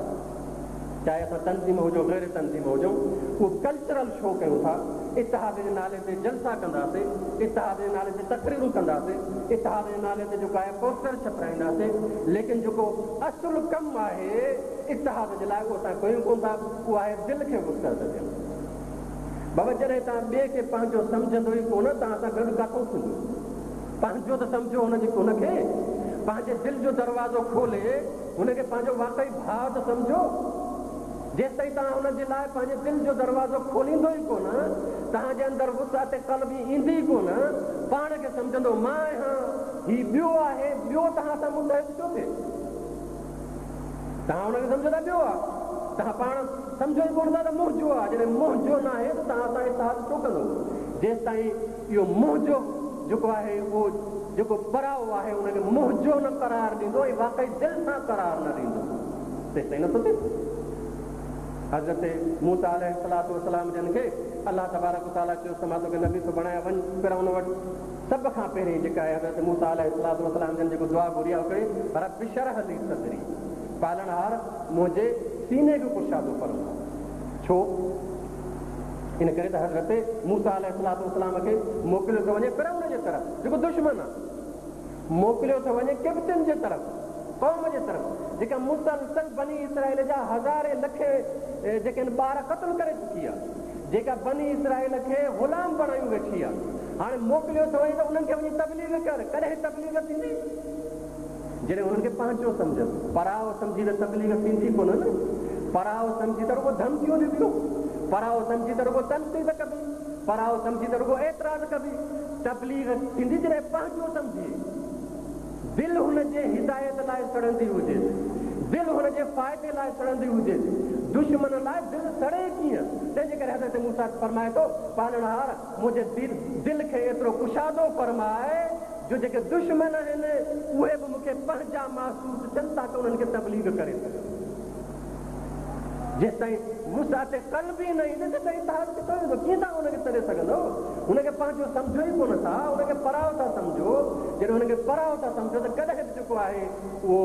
چاهي اسان تنظيم هجون غير تنظيم هجون، اهو ڪلچرل شو ڪيون ٿا، اتحاد جي نالي تي جلسا ڪنداسين، اتحاد جي نالي تي تقريرون ڪنداسين، اتحاد جي نالي تي جيڪو آهي پوسٽر ڇپرائينداسين، ليڪن جيڪو اصل ڪم آهي اتحاد جي لاء اهو اسان ڪيون ڪونه ٿا، اهو آهي دل کي وسعت ڏيڻ. بابا جڏهن توهان ٻئي کي پنهنجو سمجهندو ئي ڪونه توهان سان گڏ ڪاٿئون ٿيندو؟ پنهنجو ته سمجهو هن جي هن کي پنهنجي دل جو دروازو کولي هن کي پنهنجو واقعي ڀاء ته سمجهو. جيستائين توهان هن جي لاء پنهنجي دل جو دروازو کوليندو ئي ڪونه، توهان جي اندر وسعت قلبي ايندي ئي ڪونه، پاڻ کي سمجهندو مان آهيان، هي ٻيو آهي، ٻيو توهان سان متحد ڇو ٿئي؟ توهان ان کي سمجهو ٿا ٻيو آ، توهان پاڻ سمجهو ئي ڪونه ٿا ته منهنجو آ، جڏهن منهنجو ناهي ته توهان سان اتحاد ڇو ڪندو؟ جيستائين اهو منهنجو جيڪو آهي اهو جيڪو پرائو آهي ان کي منهنجو نه قرار ڏيندو ۽ واقعي دل سان قرار نه ڏيندو تيستائين نٿو ٿئي. حضرت موسيٰ عليه الصلوة والسلام جن کي الله تبارڪ و تعاليٰ چيس ته مان توکي نبي ٿو بڻايان وڃ فرعون وٽ. سڀ کان پهرين جيڪا آهي حضرت موسيٰ عليه الصلوة والسلام جن جيڪو دعا گهري آهي اها ڪهڙي رب اشرح لي صدري پالڻهار منهنجي سيني کي ڪشادو فرماء. ڇو؟ ان ڪري ته حضرت موسيٰ عليه الصلوة والسلام کي موڪليو ٿو وڃي فرعون جي طرف جيڪو دشمن آهي. موڪليو ٿو وڃي قبطين جي طرف، قوم جي طرف، جيڪا مسلسل بني اسرائيل جا هزارين لکين جيڪي آهن ٻار قتل ڪري چڪي آهي، جيڪا بني اسرائيل کي غلام بڻايون ويٺي آهي. هاڻي موڪليو ٿو وڃي ته انهن کي وڃي تبليغ ڪر. ڪڏهن تبليغ ٿيندي؟ جڏهن انهن کي پنهنجو سمجهن. پرائو سمجهي ته تبليغ ٿيندي ڪونه نه. پرائو سمجهي ته رڳو ڌمڪيون ڏبيون. پرائو سمجهي ته رڳو تنقيد ڪبي. پرائو سمجهي ته رڳو اعتراض ڪبي. تبليغ ٿيندي جڏهن پنهنجو سمجهي. دل هن جي هدايت لاء سڙندي هجيس. دل هن جي فائدي لاء سڙندي هجيس. دشمن لاء دل سڙي ڪيئن؟ تنهن جي ڪري حضرت موسيٰ فرمائي ٿو، پالڻهار منهنجي دل کي ايترو ڪشادو فرماء جو جيڪي دشمن آهن اهي به مون کي پنهنجا محسوس ٿين تاڪه انهن کي تبليغ ڪري سگهان. جيستائين وسعت قلبي نه ايندي تيستائين اتحاد ڪٿان ايندو؟ ڪيئن توهان ان کي سڏي سگهندؤ؟ هن کي پنهنجو سمجهو ئي ڪونه ٿا، ان کي پرائو ٿا سمجهو. جڏهن هن کي پرائو ٿا سمجهو ته ڪڏهن به جيڪو آهي اهو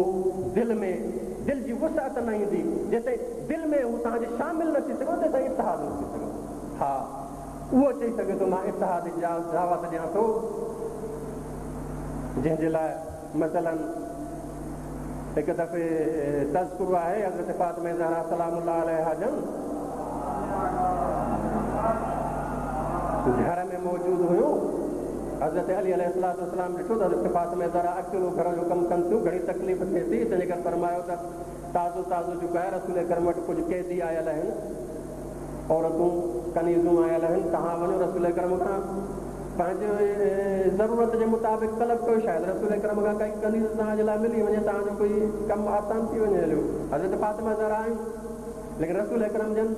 دل ۾ دل جي وسعت نه ايندي. جيستائين دل ۾ هو توهان جي شامل نه ٿي سگهندو تيستائين اتحاد نه ٿي سگهندو. ها اهو چئي سگهي ٿو مان اتحاد جي دعوت ڏيان ٿو جنهن جي لاء مثلاً هڪ دفعي تذڪرو آهي حضرت فاطمه زهرا سلام الله عليها جن گهر ۾ موجود هيون حضرت علي عليه الصلوة والسلام ڏٺو ته حضرت فاطمه زهرا اڪيلو گهر جو ڪم ڪن ٿيون گهڻي تڪليف ٿئي ٿي تنهنجي ڪري فرمايو ته تازو تازو جيڪو آهي رسول اڪرم وٽ ڪجهه قيدي آيل آهن عورتون ڪنيزون آيل آهن توهان وڃو رسول اڪرم کان پنهنجي ضرورت جي مطابق طلب ڪيو شايد رسول اڪرم کان ڪائي ڪنيز توهان جي لاء ملي وڃي توهان جو ڪوئي ڪم آسان ٿي وڃي هليو حضرت فاطمه زهرا آيون ليڪن رسول اڪرم جن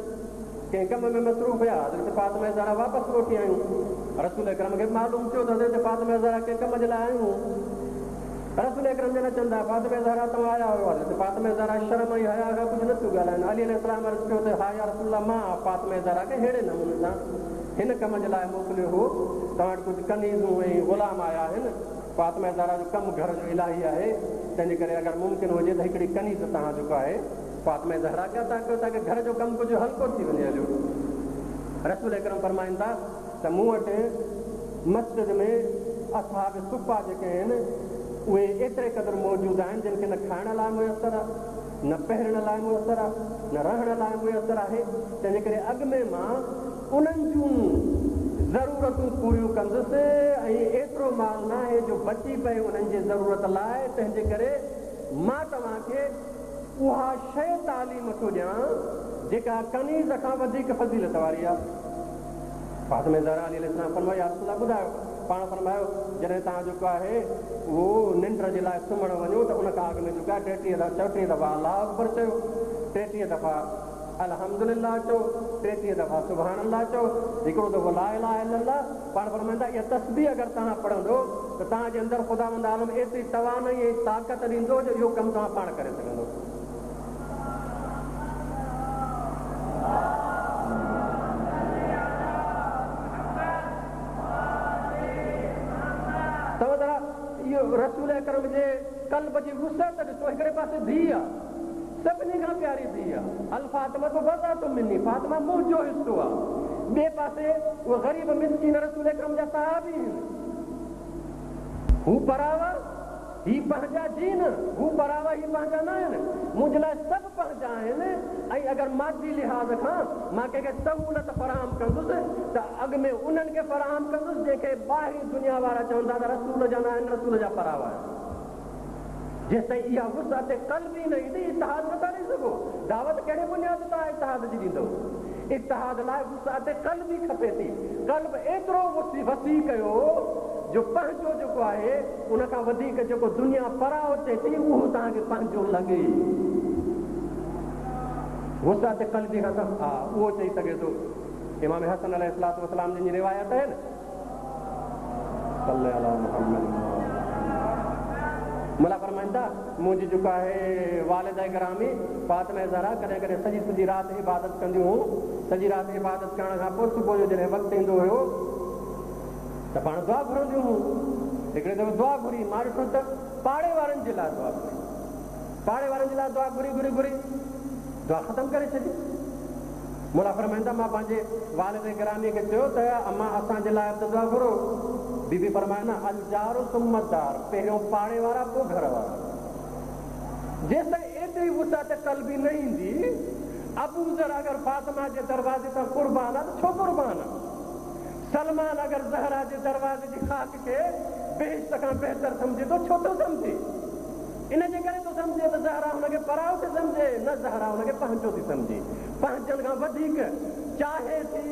ڪنهن ڪم ۾ مصروف هيا حضرت فاطمه زهرا واپس موٽي آيون رسول اڪرم کي معلوم ٿيو ته حضرت فاطمه زهرا ڪنهن ڪم جي لاء آيون رسول اڪرم جن اچن ٿا، فاطمه زهرا توهان آيا هيو؟ حضرت فاطمه زهرا شرم ۽ حياء کان ڪجهه نه ٿيون ڳالهائن. علي عليه السلام عرض ڪيو ته ها يا رسول الله مان فاطمه زهرا کي ههڙي نموني سان هن ڪم جي لاء موڪليو هو، توهان وٽ ڪجهه ڪنيزون ۽ غلام آيا آهن، فاطمه زهرا جو ڪم گهر جو الاهي آهي، تنهن جي ڪري اگر ممڪن هجي ته هڪڙي ڪنيز توهان جيڪو آهي فاطمه زهرا کي عطا ڪيو تاڪه گهر جو ڪم ڪجهه هلڪو ٿي وڃي هليو. رسول اڪرم فرمائن ٿا ته مون وٽ مسجد ۾ اصحاب صفه جيڪي آهن اهي ايتري قدر موجود آهن جن کي نه کائڻ لاء ميسر آهي نه پهرڻ لاء ميسر آهي نه رهڻ لاء ميسر آهي تنهنجي ڪري اڳ ۾ مان انهن جون ضرورتون پوريون ڪندس ۽ ايترو مال ناهي جو بچي پئي انهن جي ضرورت لاء تنهنجي ڪري مان توهان کي اها شيء تعليم ٿو ڏيان جيڪا ڪنيز کان وڌيڪ فضيلت واري آهي. فاطمه زهرا عليه السلام فرمايو، يا رسول الله ٻڌايو. پاڻ فرمايو، جڏهن توهان جيڪو آهي اهو ننڊ جي لاء سمهڻ وڃو ته ان کان اڳ ۾ جيڪو آهي ٽيٽيهه دفعا چوٽيهه دفعا الله اڪبر چئو، ٽيٽيهه دفعا الحمد لله چئو، ٽيٽيهه دفعا سبحان الله چئو، هڪڙو دفعو لا اله الا الله. پاڻ فرمائن ٿا، اها تسبيح اگر توهان پڙهندو ته توهان جي اندر خداوند عالم ايتري توانائي ۽ طاقت ڏيندو جو اهو ڪم توهان پاڻ ڪري سگهندو. توهان ذرا اهو رسول اڪرم جي قلب جي وسعت ڏسو، هڪڙي پاسي ڌيء آ، سڀني کان پياري ڌيء آ، الفاطمة بضعة مني، فاطمه منهنجو حصو آ، ٻئي پاسي اهي غريب مسڪين رسول اڪرم جا صحابي هن، هو پراوا. هي پنهنجا جي نه، هو پراوا هي پنهنجا نه آهن، منهنجي لاء سڀ پنهنجا آهن ۽ اگر مادي لحاظ کان مان ڪنهن کي سهولت فراهم ڪندس ته اڳ ۾ انهن کي فراهم ڪندس جنهن کي ٻاهرين دنيا وارا چون ٿا ته رسول جا نه آهن رسول جا پراوا آهن. جيستائين اها وسعت قلبي نه ايندي اتحاد نٿا ڏئي سگهو. دعوت ڪهڙي بنياد تان اتحاد جي ڏيندؤ؟ اتحاد لاء وسعت قلبي کپي ٿي. قلب ايترو وسيع ڪيو جو پنهنجو جيڪو آهي ان کان وڌيڪ جيڪو دنيا پرائو چئي ٿي اهو توهان کي پنهنجو لڳي. وسعت قلبي کان ته ها اهو چئي سگهي ٿو. امام حسن عليه الصلوة والسلام جن جي روايت آهي نه. صلي علي محمد. مولا فرمائن ٿا. منهنجي جيڪا آهي والده گرامي فاطمه زهرا ڪڏهن ڪڏهن سڄي سڄي رات عبادت ڪنديون هيون. سڄي رات عبادت ڪرڻ کان پوء صبح جو جڏهن وقت ايندو هيو ته پاڻ دعا گهرنديون هيون. هڪڙي دفعي دعا گهري، مان ڏٺو ته پاڙي وارن جي لاء دعا گهري. پاڙي وارن جي لاء دعا گهري گهري گهري دعا ختم ڪري ڇڏي. مولا فرمائن ٿا، مان پنهنجي والد گرامي کي چيو ته امان اسان جي لاء به ته دعا گهرو. بي بي فرمايو نه الجار ثم الدار پهريون پاڙي وارا پوء گهر وارا. جيستائين ايتري وسعت قلبي نه ايندي، ابوذر اگر فاطمه جي دروازي تان قربان آ ته ڇو قربان آ؟ سلمان اگر زهرا جي دروازي جي خاڪ کي بهشت کان بهتر سمجهي ٿو ڇو ٿو سمجهي؟ ان جي ڪري ٿو سمجهي ته زهرا هن کي پرائو ٿي سمجهي، نه زهرا هن کي پنهنجو ٿي سمجهي، پنهنجن کان وڌيڪ چاهي ٿي،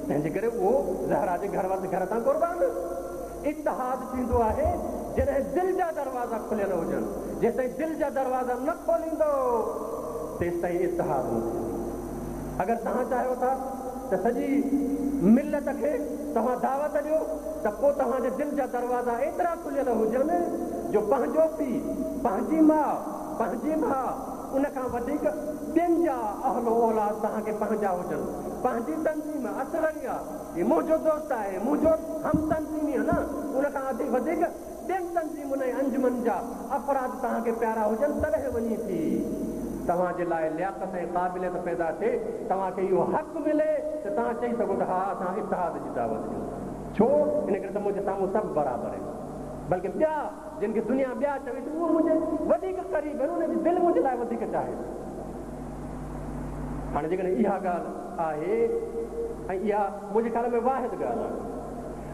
تنهن جي ڪري اهو زهرا جي گهر وٽ گهر تان قربان. اتحاد ٿيندو آهي جڏهن دل جا دروازا کليل هجن، جيستائين دل جا دروازا نه کوليندؤ تيستائين اتحاد نه ٿيندو. اگر توهان چاهيو ٿا ته سڄي ملت کي توهان دعوت ڏيو ته پوء توهان جي دل جا دروازا ايترا کليل هجن جو پنهنجو پيء، پنهنجي ماء، پنهنجي ڀاء ان کان وڌيڪ ٻين جا اهل و اولاد توهان کي پنهنجا هجن، پنهنجي تنظيم اصغريه هي منهنجو دوست آهي، منهنجو هم تنظيمي آهي نه ان کان وڌيڪ ٻين تنظيمن ۽ انجمن جا افراد توهان کي پيارا هجن تڏهن وڃي ٿي توهان جي لاء لياقت ۽ قابليت پيدا ٿئي، توهان کي اهو حق ملي ته توهان چئي سگهو ته ها اسان اتحاد جي دعوت ڏيون ٿا. ڇو؟ ان ڪري ته منهنجي سامهون سڀ برابر آهن. بلڪه ٻيا جن کي دنيا ٻيا چوي ٿي اهي منهنجي وڌيڪ قريب آهن، انهن جي دل منهنجي لاء وڌيڪ چاهي ٿي. هاڻي جيڪڏهن اها ڳالهه آهي ۽ اها منهنجي خيال ۾ واحد ڳالهه آهي.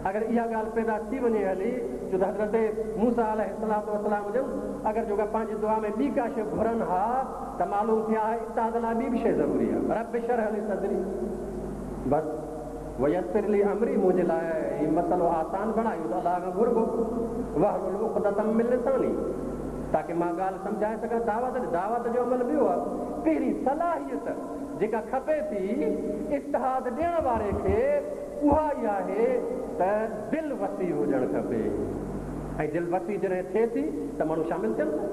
اگر اها ڳالهه پيدا ٿي وڃي هلي ڇو ته حضرت موسيٰ عليه الصلوة والسلام جن اگر جيڪا پنهنجي دعا ۾ ٻي ڪا شيء گهرن ها ته معلوم ٿئي ها اتحاد لاء ٻي به شيء ضروري آهي رب اشرح لي صدري بس ويسر لي امري منهنجي لاء هي مسئلو آسان بڻاء اهو ته الله کان گهربو واحلل عقدة من لساني تاڪه مان ڳالهه سمجهائي سگهان دعوت دعوت جو عمل ٻيو آهي پهرين صلاحيت جيڪا کپي ٿي اتحاد ڏيڻ واري کي اها ئي آهي ته دل وسيع هجڻ کپي ۽ دل وسيع جڏهن ٿئي ٿي ته ماڻهو شامل ٿين ٿا.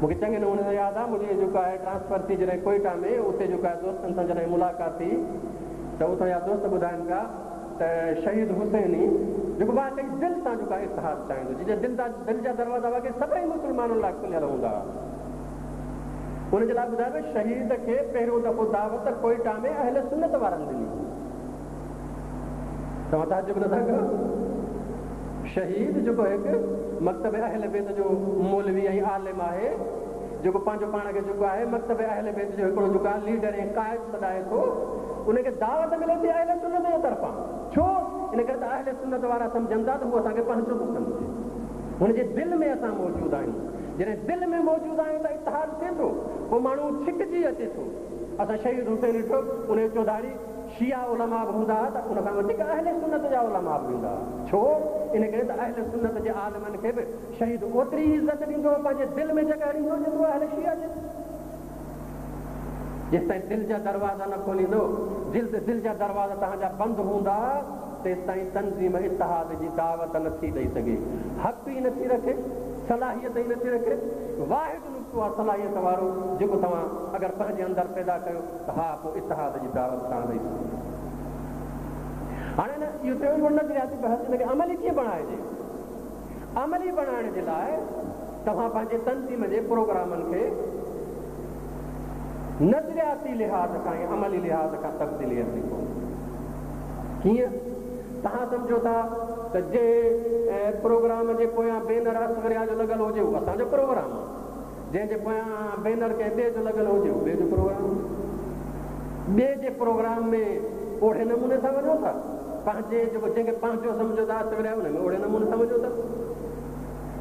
مون کي چڱي نموني سان ياد آهي منهنجي جيڪو آهي ٽرانسفر ٿي جڏهن ڪوئيٽا ۾ اتي جيڪو آهي دوستن سان جڏهن ملاقات ٿي ته اتان جا دوست ٻڌائن پيا ته شهيد حسيني جيڪو واقعي دل سان جيڪو آهي اتحاد چاهيندو جنهن جا دل جا دروازا واقعي سڀئي مسلمانن لاء کليل هوندا هئا. ان جي لاء ٻڌايو ويو شهيد کي پهريون دفعو دعوت ڪوئيٽا ۾ اهل سنت وارن ڏني. توهان تعجب نٿا ڪيو؟ شهيد جيڪو هڪ مڪتب اهل بيت جو مولوي ۽ عالم آهي، جيڪو پنهنجو پاڻ کي جيڪو آهي مڪتب اهل بيت جو هڪڙو جيڪو آهي ليڊر ۽ قائد سڏائي ٿو، ان کي دعوت ملي ٿي اهل سنت جي طرفان. ڇو؟ ان ڪري ته اهل سنت وارا سمجهن ٿا ته هو اسان کي پنهنجو ٿو سمجهي. هن جي دل ۾ اسان موجود آهيون. جڏهن دل ۾ موجود آهيون ته اتحاد ٿئي ٿو، پوء ماڻهو ڇڪجي اچي ٿو. اسان شهيد حسين ڏٺو، ان جي چوڌاري شيعا علماء به هوندا ها ته ان کان وڌيڪ اهل سنت جا علماء به ويندا ها. ڇو؟ ان ڪري ته اهل سنت جي عالمن کي به شهيد اوتري ئي عزت ڏيندو هو، پنهنجي دل ۾ جڳهه ڏيندو هو، جيترو اهل شيعه جي. جيستائين دل جا دروازا نه کوليندو، دل جا دروازا توهان جا بند هوندا، تيستائين تنظيم اتحاد جي دعوت نه ٿي ڏئي سگهي. حق ئي نه ٿي رکي، صلاحيت ئي نه ٿي رکي. واحد نقطو آهي صلاحيت وارو جيڪو توهان اگر پنهنجي اندر پيدا ڪيو ته ها پوء اتحاد جي دعوت توهان ڏئي سگهو ٿا. هاڻي نه اهو ٿيو هڪڙو نظرياتي بحث ان کي عملي ڪيئن بڻائجي؟ عملي بڻائڻ جي لاء توهان پنهنجي تنظيم جي پروگرامن کي نظرياتي لحاظ کان ۽ عملي لحاظ کان تبديلي اچڻي پوندي. ڪيئن؟ توهان سمجهو ٿا ته جنهن پروگرام جي پويان بينر اصغريا جو لڳل هجي اهو اسان جو پروگرام آهي. جنهن جي پويان بينر ڪنهن ٻئي جو لڳل هجي اهو ٻئي جو پروگرام آهي. ٻئي جي پروگرام ۾ اوهڙي نموني سان وڃو ٿا. پنهنجي جيڪو جنهن کي پنهنجو سمجهو ٿا اصغريا ان ۾ اوهڙي نموني سان وڃو ٿا.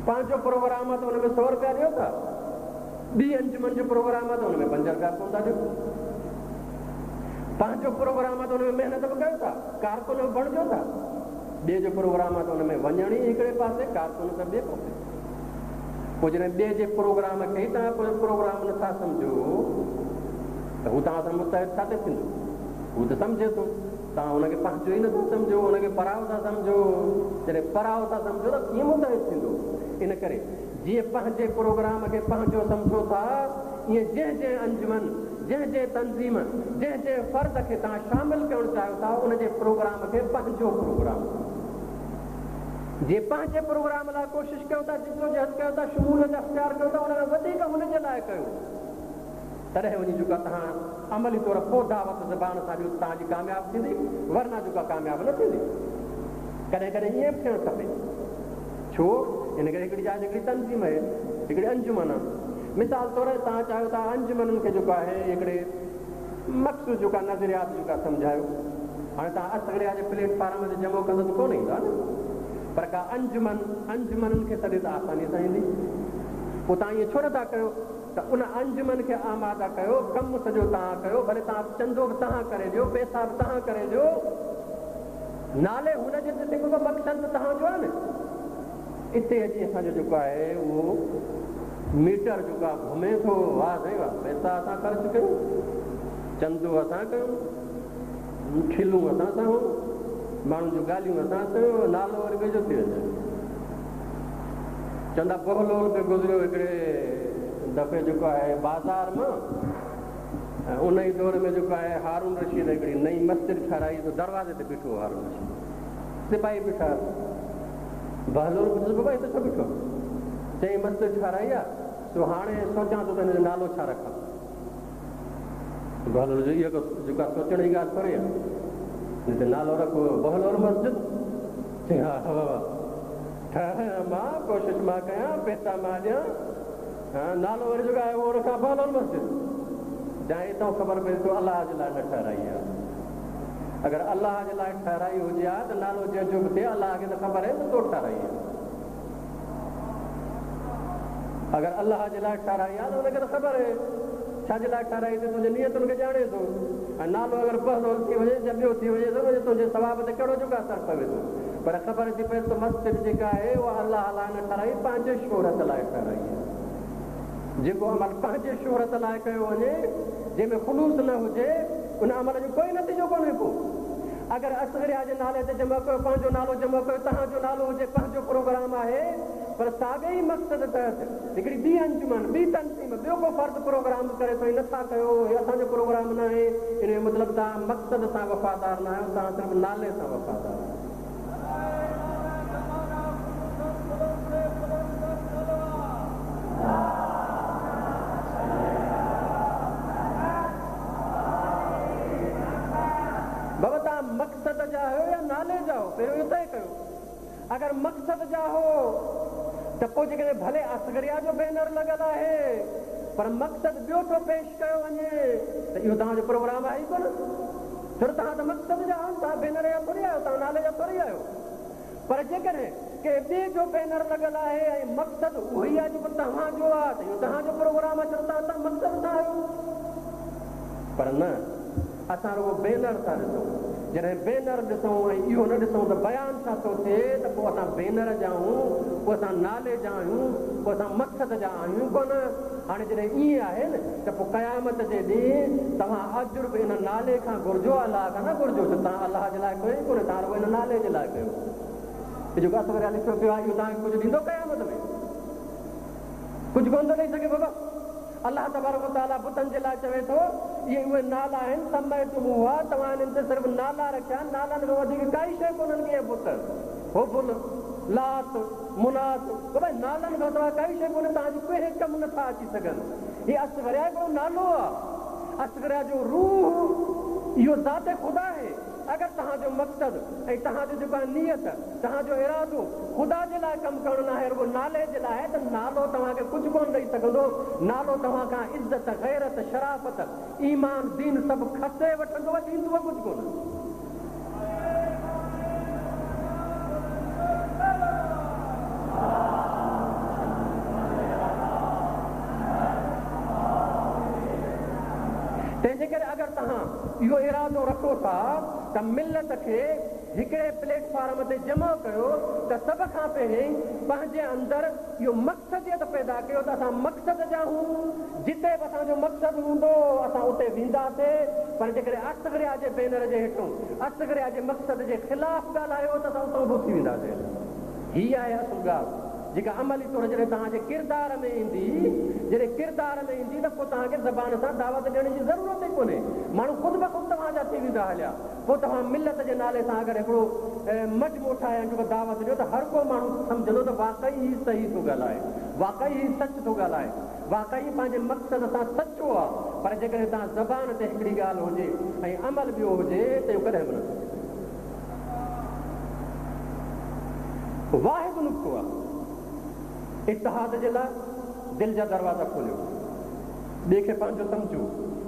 پنهنجو پروگرام آهي ته ان ۾ سؤ رپيا ڏيو ٿا. ٻي انجمن جو پروگرام آهي ته ان ۾ پنج رپيا به ڪونه ٿا ڏيو. پنهنجو پروگرام آهي ته ان ۾ محنت به ڪيو ٿا، ڪارڪن به بڻجو ٿا. ٻئي جو پروگرام آهي ته ان ۾ وڃڻ ئي هڪڙي پاسي، ڪارڪن ته ٻئي پاسي. پوء جڏهن ٻئي جي پروگرام کي ئي توهان پنهنجو پروگرام نٿا سمجهو ته هو توهان سان متحد ڇا تي ٿيندو؟ هو ته سمجهي ٿو. توهان ان کي پنهنجو ئي نٿا سمجهو، ان کي پرائو ٿا سمجهو. جڏهن پرائو ٿا سمجهو ته ڪيئن متحد ٿيندو؟ ان ڪري جيئن پنهنجي پروگرام کي پنهنجو سمجهو ٿا، ائين جنهن جنهن انجمن، جنهن جنهن تنظيم، جنهن جنهن فرد کي توهان شامل ڪرڻ چاهيو ٿا، ان جي پروگرام کي پنهنجو پروگرام سمجهو. جيئن پنهنجي پروگرام لاء ڪوشش ڪيو ٿا، جدوجهد ڪيو ٿا، شموليت اختيار ڪيو ٿا، ان کان وڌيڪ هن جي لاء ڪيو. تڏهن وڃي جيڪا توهان عملي طور پوء دعوت زبان سان ڏيو ته توهان جي ڪامياب ٿيندي، ورنه جيڪا ڪامياب نه ٿيندي. ڪڏهن ڪڏهن ائين به ٿيڻ کپي. ڇو؟ ان ڪري هڪڙي جاء تي هڪڙي تنظيم آهي، هڪڙي انجمن آهي. مثال طور توهان چاهيو ٿا انجمنن کي جيڪو آهي هڪڙي مخصوص جيڪا نظريات جيڪا سمجهايو. هاڻي توهان اصغريا جي پليٽ فارم تي جمع ڪندو ته ڪونه ايندا نه. پر ڪا انجمن انجمنن کي سڏي ته آسانيء سان ايندي. پوء توهان ائين ڇو نه ٿا ڪيو؟ ته ان انجمن کي آماده ڪيو، ڪم سڄو توهان ڪيو، ڀلي توهان چندو به توهان ڪري ڏيو، پئسا به توهان ڪري ڏيو، نالي هن جي ته ٿيندو پر مقصد ته توهان جو آهي نه. اتي اچي اسان جو جيڪو آهي اهو ميٽر جيڪو آهي گهمي ٿو، واهه سائين واهه، پئسا اسان خرچ ڪيون، چندو اسان ڪيون، کلون اسان سهون، ماڻهن جون ڳالهيون اسان سهون، نالو وري ٻئي جو ٿي وڃي. چوندا بهلول به گذريو هڪڙي دفعي جيڪو آهي بازار مان ۽ ان ئي دور ۾ جيڪو آهي هارون رشيد هڪڙي نئين مسجد ٺهرائي ته دروازي تي بيٺو هو هارون رشيد سپاهي بيٺا بهلول پڇيس بابا هتي ڇو بيٺو چيائين مسجد ٺهرائي آ سو هاڻي سوچان ٿو ته هن جو نالو ڇا رکان بهلول جو اهو جيڪا سوچڻ جي ڳالهه ٿوري آ هن نالو رکو بهلول مسجد چيائين ها ها بابا ٺهرايان مان، ڪوشش مان ڪيان، پئسا مان ڏيان، نالو وري جيڪو آهي اهو رکان بهلول مسجد. جان اتان خبر پئي تو الله جي لاء نه ٺهرائي آهي. اگر الله جي لاء ٺهرائي هجي ها ته نالو جنهن جو به ٿئي الله کي ته خبر آهي ته تو ٺهرائي آهي. اگر الله جي لاء ٺهرائي آهي ته ان کي ته خبر آهي ڇا جي لاء ٺهرائي اٿئي، تنهنجي نيتن کي ڄاڻي ٿو ۽ نالو اگر بهلول ٿي وڃي يا ٻيو ٿي وڃي ته ان جو تنهنجي ثواب تي ڪهڙو جيڪو اثر پوي ٿو. پر خبر ٿي پئي ته مسجد جيڪا آهي اها الله لاء نه ٺهرائي پنهنجي شهرت لاء ٺهرائي آهي. جيڪو عمل پنهنجي شهرت لاء ڪيو وڃي جنهن ۾ خلوص نه هجي ان عمل جو ڪوئي نتيجو ڪونهي ڪو. اگر اصغريا جي نالي تي جمع ڪيو پنهنجو نالو جمع ڪيو توهان جو نالو هجي پنهنجو پروگرام آهي پر ساڳئي ئي مقصد تحت هڪڙي ٻي انجمن ٻي تنظيم ٻيو ڪو فرد پروگرام به ڪري ٿو هي نٿا ڪيو هي اسان جو پروگرام ناهي ان جو مطلب توهان مقصد سان وفادار ناهيو توهان صرف نالي سان وفادار آهيو. بابا توهان مقصد جا آهيو يا نالي جا آهيو پهريون اهو طئي ڪيو. اگر مقصد جا هو ته پوء جيڪڏهن ڀلي اصغريا جو بينر لڳل آهي پر مقصد ٻيو ٿو پيش ڪيو وڃي ته اهو توهان جو پروگرام آهي ئي ڪونه. ڇو ته توهان ته مقصد جا آهيو توهان بينر جا ٿوري آهيو توهان نالي جا ٿوري آهيو. پر جيڪڏهن ڪنهن ٻئي جو بينر لڳل آهي ۽ مقصد اهو ئي آهي جيڪو توهان جو آهي ته اهو توهان جو پروگرام آهي ڇو ته توهان مقصد سان آهيو. پر نه اسان رڳو بينر ٿا ڏسون. جڏهن بينر ڏسون ۽ اهو نه ڏسون ته بيان ڇا ٿو ٿئي ته پوء اسان بينر جا آهيون، پوء اسان نالي جا آهيون، پوء اسان مقصد جا آهيون ڪونه. هاڻي جڏهن ائين آهي نه ته پوء قيامت جي ڏينهن توهان اجر به ان نالي کان گهرجو الله کان نه گهرجو ڇو توهان الله جي لاء ڪيو ئي ڪونه توهان رڳو ان نالي جي لاء ڪيو. هي جيڪو اصغريا لکيو پيو آهي اهو توهان کي ڪجهه ڏيندو قيامت ۾؟ ڪجهه ڪونه ٿو ڏئي سگهي بابا. الله تبارڪ و تعاليٰ بتن جي لاء چوي ٿو، اهي اهي نالا آهن، سميتموها، توهان انهن تي صرف نالا رکيا آهن، نالن کان وڌيڪ ڪائي شيء ڪونهن ڪي اهي بت، هبل، لات، منات، بابا نالن کان سواء ڪائي شيء ڪونهي، توهان جي ڪنهن ڪم نٿا اچي سگهن. هي اصغريا هڪڙو نالو آهي، اصغريا جو روح اهو ذات خدا آهي. اگر توهان جو مقصد ۽ توهان جو جيڪو آهي نيت، توهان جو ارادو خدا جي لاء ڪم ڪرڻ ناهي رڳو نالي جي لاء آهي ته نالو توهان کي ڪجهه ڪونه ڏئي سگهندو، نالو توهان کان عزت، غيرت، شرافت، ايمان، دين سڀ کسي وٺندو ۽ ڏيندو ڪجهه ڪونه. تنهن جي ڪري اگر توهان اهو ارادو رکو ٿا ته ملت کي هڪڙي پليٽ فارم تي جمع ڪيو ته سڀ کان پهرين پنهنجي اندر اهو مقصديت پيدا ڪيو ته اسان مقصد جا هون، جتي به اسان جو مقصد هوندو اسان اتي وينداسي، پر جيڪڏهن اصغريا جي بينر جي هيٺون اصغريا جي مقصد جي خلاف ڳالهايو ته اسان اتان به اٿي وينداسي. هي آهي اصل ڳالهه جيڪا عملي طور جڏهن توهان جي ڪردار ۾ ايندي، جڏهن ڪردار ۾ ايندي ته پوء توهان کي زبان سان دعوت ڏيڻ جي ضرورت ئي ڪونهي، ماڻهو خود بخود توهان جا ٿي ويندا هليا. پوء توهان ملت جي نالي سان اگر هڪڙو مجموعو ٺاهي ۽ جيڪو دعوت ڏيو ته هر ڪو ماڻهو سمجهندو ته واقعي هي صحيح ٿو ڳالهائي، واقعي هي سچ ٿو ڳالهائي، واقعي پنهنجي مقصد سان سچو آ. پر جيڪڏهن توهان زبان تي هڪڙي ڳالهه هجي ۽ عمل ٻيو هجي ته اهو ڪڏهن به نه ٿو ٿي سگهي. واحد نقطو آ اتحاد جي لاء دل جا دروازا کوليو. ٻئي کي پنهنجو سمجهو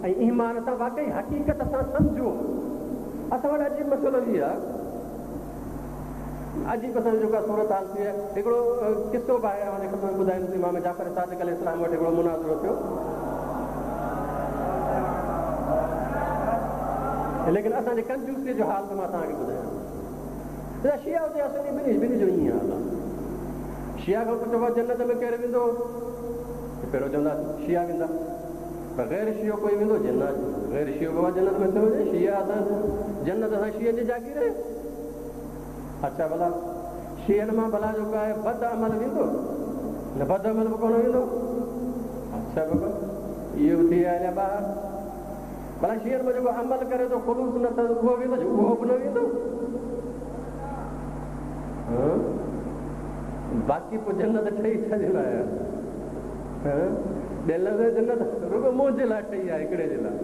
۽ ايمان سان واقعي حقيقت سان سمجهو. اسان وٽ عجيب مسئلو هي آهي. عجيب اسان جي جيڪا صورت حال ٿي آهي. هڪڙو قصو به آهي اوهان جي خدمت ۾ ٻڌائيندس امام جعفر صادق عليه السلام وٽ هڪڙو مناظرو ٿيو. ليڪن اسان جي ڪنجوسيء جو حال ته مان توهان کي ٻڌايان. شيعا هجي يا سني ٻنهي ٻنهي جو ائين حال آهي. شيعا کان پڇبو آهي جنت ۾ ڪير ويندو؟ ته پهريون چوندا شيعا ويندا. پر غير شيعو ڪوئي ويندو؟ چي نه غير شيعو بابا جنت ۾ ٿو وڃي شيعا اسان جنت اسان شيعن جي جاگير آهي. اڇا ڀلا شيعن مان ڀلا جيڪو آهي بد عمل ويندو؟ نه بد عمل به ڪونه ويندو. اڇا بابا اهو به ٿي ويا هليا ٻاهر. ڀلا شيعن مان جيڪو عمل ڪري ٿو خلوص نه اٿس اهو ويندو؟ چي اهو به نه ويندو. باقي پوء جنت ٺهي ڇا جي لاء آهي؟ ٻين لاء جنت رڳو منهنجي لاء ٺهي آهي هڪڙي جي لاء.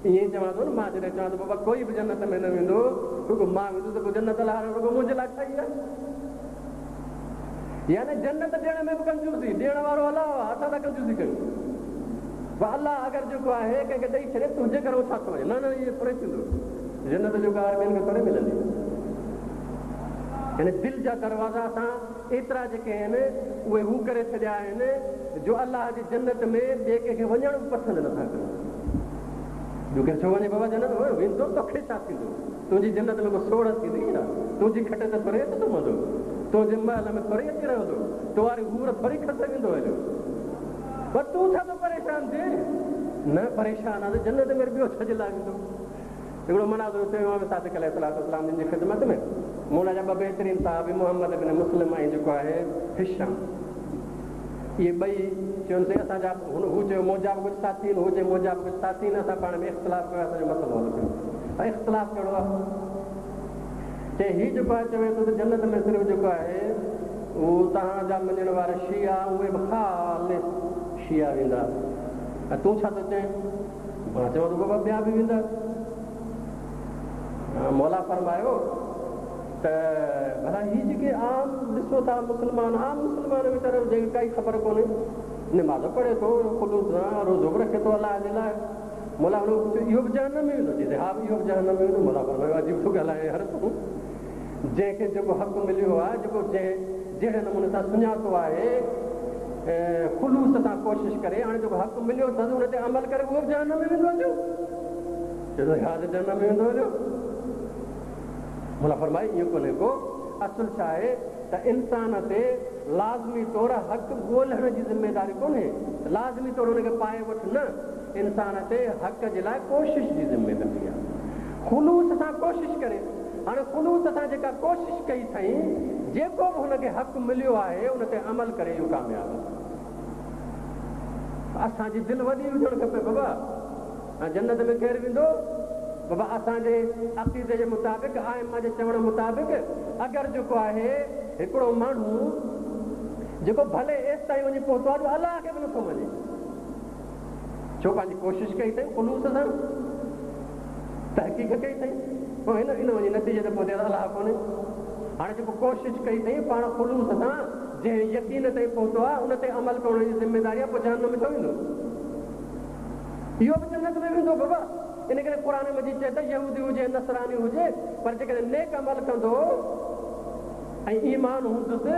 ائين ئي چوان ٿو نه مان جڏهن چوان ٿو بابا ڪوئي به جنت ۾ نه ويندو رڳو مان ويندس ته پوء جنت الله رڳو منهنجي لاء ٺهي آهي. يعني جنت ڏيڻ ۾ به ڪنجوسي، ڏيڻ وارو الله آهي، اسان ٿا ڪنجوسي ڪيون. ڀلا الله اگر جيڪو آهي ڪنهن کي ڏئي ڇڏي تنهنجي گهر ڇا ٿو وڃي؟ نه نه ائين ٿوري ٿيندو. جنت جيڪو آهي ٻين کي ٿوري ملندي. يعني دل جا دروازا اسان ايترا جيڪي آهن اهي هو ڪري ڇڏيا آهن جو الله جي جنت ۾ ٻئي ڪنهن کي وڃڻ به پسند نٿا ڪريون. ٻيو ڪير ڇو وڃي بابا جنت ۾ ويندو توکي ڇا ٿيندو؟ تنهنجي جنت ۾ ڪو سوڙهه ٿيندي ڇا؟ تنهنجي کٽ تي ٿوري اچي سمهندو؟ تنهنجي محل ۾ ٿوري اچي رهندو؟ تو واري حور ٿوري کسي ويندو هليو؟ پر تون ڇا ٿو پريشان ٿئين؟ نه پريشان آهيان ته جنت ۾ ٻيو ڇا جي لاء ويندو؟ هڪڙو مناظرو ٿيو امام صادق عليه الصلوة والسلام جن جي خدمت ۾. مولا جا ٻه بهترين صحابي محمد بن مسلم ۽ جيڪو آهي هشام. اهي ٻئي چون سائين اسان جا هن هو چيو منهنجا به ڪجهه ساٿي آهن هو چيو منهنجا به ڪجهه ساٿي آهن اسان پاڻ ۾ اختلاف ڪيو اسان جو مسئلو حل ڪيو. ۽ اختلاف ڪهڙو آهي؟ چي هي جيڪو آهي چوي ٿو ته جنت ۾ صرف جيڪو آهي اهو توهان جا مڃڻ وارا شيعا اهي به خالص شيعا ويندا ۽ تون ڇا ٿو چئين؟ مان چوان ٿو بابا ٻيا به ويندا. مولا فرمايو ته ڀلا هي جيڪي عام ڏسو ٿا مسلمان عام مسلمان ويچارو جنهن کي ڪائي خبر ڪونهي نماز پڙهي ٿو خلوص سان روزو به رکي ٿو الله جي لاء مولا هن کي پڇيو اهو به جهنم ۾ ويندو؟ چيس ها اهو به جهنم ۾ ويندو. مولا فرمايو عجيب ٿو ڳالهائين يار تون جنهن کي جيڪو حق مليو آهي جيڪو جنهن جهڙي نموني سان سڃاتو آهي خلوص سان ڪوشش ڪري هاڻي جيڪو حق مليو اٿس ان تي عمل ڪري اهو به جهنم ۾ ويندو هليو؟ چيس ها ته جهنم ۾ ويندو هليو. مولا فرمايو ائين ڪونهي ڪو اصل ڇا آهي ته انسان تي لازمي طور حق ڳولڻ جي ذميداري ڪونهي لازمي طور ان کي پائي وٺ نه انسان تي حق جي لاء ڪوشش جي ذميداري آهي. خلوص سان ڪوشش ڪري. هاڻي خلوص سان جيڪا ڪوشش ڪئي اٿئين، جيڪو به هن کي حق مليو آهي، ان تي عمل ڪري اهو ڪامياب آهي. اسان جي دل وڏي هجڻ کپي بابا. ۽ جنت ۾ ڪير ويندو؟ بابا اسان جي عقيدي جي مطابق، ائمه جي چوڻ مطابق اگر جيڪو آهي هڪڙو ماڻهو جيڪو ڀلي ايستائين وڃي پهتو آهي جو الله کي به نٿو مڃي، ڇو پنهنجي ڪوشش ڪئي اٿئي خلوص سان تحقيق ڪئي اٿئي پوء هن ان وڃي نتيجي تي پهتي ته الله ڪونهي هاڻي جيڪو ڪوشش ڪئي اٿئي پاڻ خلوص سان جنهن يقين تائين پهتو آهي ان تي عمل ڪرڻ جي ذميداري آهي پوء جهنم ۾ ڇو ويندو اهو به جنت ۾ ويندو بابا ان ڪري قرآن مجيد چئي ته يهودي هجي نصراني هجي پر جيڪڏهن نيڪ عمل ڪندو ۽ ايمان هوندس ته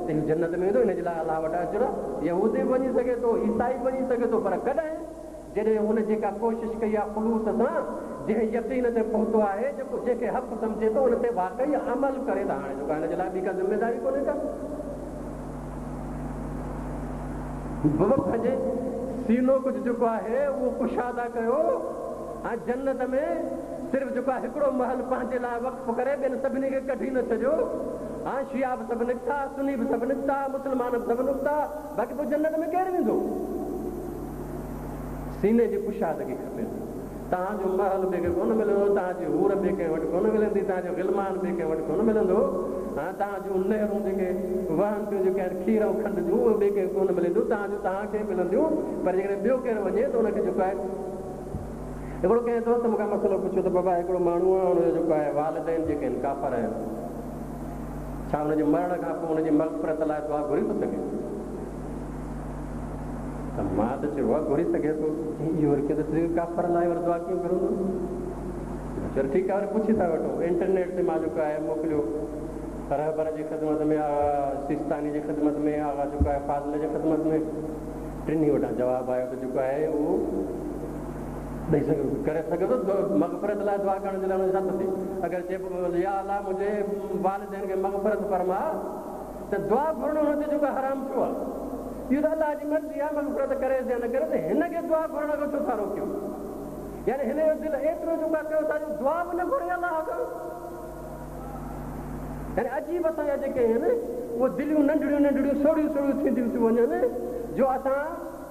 هو جنت ۾ ويندو، ان جي لاء الله وٽ اجر آهي. يهودي به وڃي سگهي ٿو، عيسائي به وڃي سگهي ٿو، پر ڪڏهن؟ جڏهن هن جيڪا ڪوشش ڪئي آهي خلوص سان، جنهن يقين تي پهتو آهي، جيڪو جنهن کي حق سمجهي ٿو، ان تي واقعي عمل ڪري ته هاڻي جيڪو آهي هن جي لاء ٻي ڪا ذميداري ڪونهي ڪا. بابا پنهنجي سينو ڪجهه جيڪو آهي اهو ڪشاده ڪيو ۽ جنت ۾ صرف جيڪو آهي هڪڙو محل پنهنجي لاء وقف ڪري ٻين سڀني کي ڪڍي نه ڇڏيو. ها شيعا به سڀ نڪتا، سني به سڀ نڪتا، مسلمان به سڀ نڪتا، باقي پوء جنت ۾ ڪير ويندو؟ سيني جي ڪشادگي کپي ٿي. توهان جو محل ٻئي کي ڪونه ملندو، توهان جي حور ٻئي ڪنهن وٽ ڪونه ملندي، توهان جو غلمان ٻئي ڪنهن وٽ ڪونه ملندو، ها توهان جون نهرون جيڪي وهن ٿيون جيڪي آهن کير ۽ کنڊ جون اهي ٻئي ڪنهن کي ڪونه ملنديون، توهان جون توهان کي ملنديون، پر جيڪڏهن ٻيو ڪير وڃي ته ان کي جيڪو آهي. هڪڙو ڪنهن دوست مون کان مسئلو پڇيو ته بابا هڪڙو ماڻهو آهي ان جو جيڪو آهي والدين جيڪي آهن ڪافر آهن ڇا ان جي مرڻ کان پوء ان جي مغفرت لاء دعا گهري ٿو سگهي؟ ته مان ته چيو آهي گهري سگهي ٿو. چيائين اهو وري ڪيئن ٿو ٿي سگهي ڪافر لاء وري دعا ڪيئن گهرندو؟ چيو ٺيڪ آهي وري پڇي ٿا وٺون. انٽرنيٽ تي مان جيڪو آهي موڪليو رهبر جي خدمت ۾ آغا سيستاني جي خدمت ۾ آغا جيڪو آهي فاضل جي خدمت ۾ ٽنهي وٽان جواب آيو ته جيڪو آهي اهو ڏئي سگهي ڪري سگهي ٿو مغفرت لاء دعا ڪرڻ جي لاء ان جو ڇا ٿو ٿئي اگر چئي يا الله منهنجي والدين کي مغفرت فرماء ته دعا گهرڻ هن تي جيڪو حرام ڇو آهي؟ اهو ته الله جي مرضي آهي مغفرت ڪريس يا نه ڪري ته هن کي دعا گهرڻ کان ڇو ٿا روڪيو؟ يعني هن جو دل ايترو جيڪو آهي ڪيو ٿا جو دعا به نه گهري الله کان؟ يعني عجيب اسان جا جيڪي آهن اهي دليون ننڍڙيون ننڍڙيون سوڙهيون سوڙهيون ٿينديون ٿيون وڃن جو اسان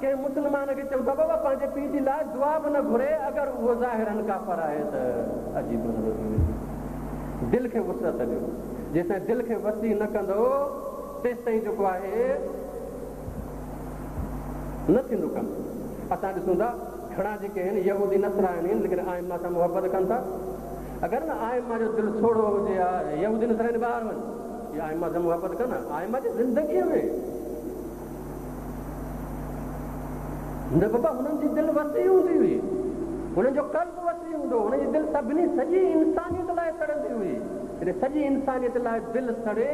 ڪنهن مسلمان کي چئون ٿا بابا پنهنجي پيء جي لاء دعا به نه گهري اگر اهو ظاهراً ڪافر آهي ته عجيب مسئلو ٿي ويندو. دل کي وسعت ڏيو. جيستائين دل کي وسيع نه ڪندؤ تيستائين جيڪو آهي نه ٿيندو ڪم. اسان ڏسون ٿا گهڻا جيڪي آهن يهودي نصراني آهن ليڪن ائمه سان محبت ڪن ٿا. اگر نه ائمه جو دل سوڙهو هجي ها يهودي نصراني ٻاهر وڃ اهي ائمه سان محبت ڪن ها ائمه جي زندگيء ۾. نه بابا هنن جي دل وسيع هوندي هئي، هنن جو قلب وسيع هوندو هو، هنن جي دل سڀني سڄي انسانيت لاء سڙندي هئي. جڏهن سڄي انسانيت لاء دل سڙي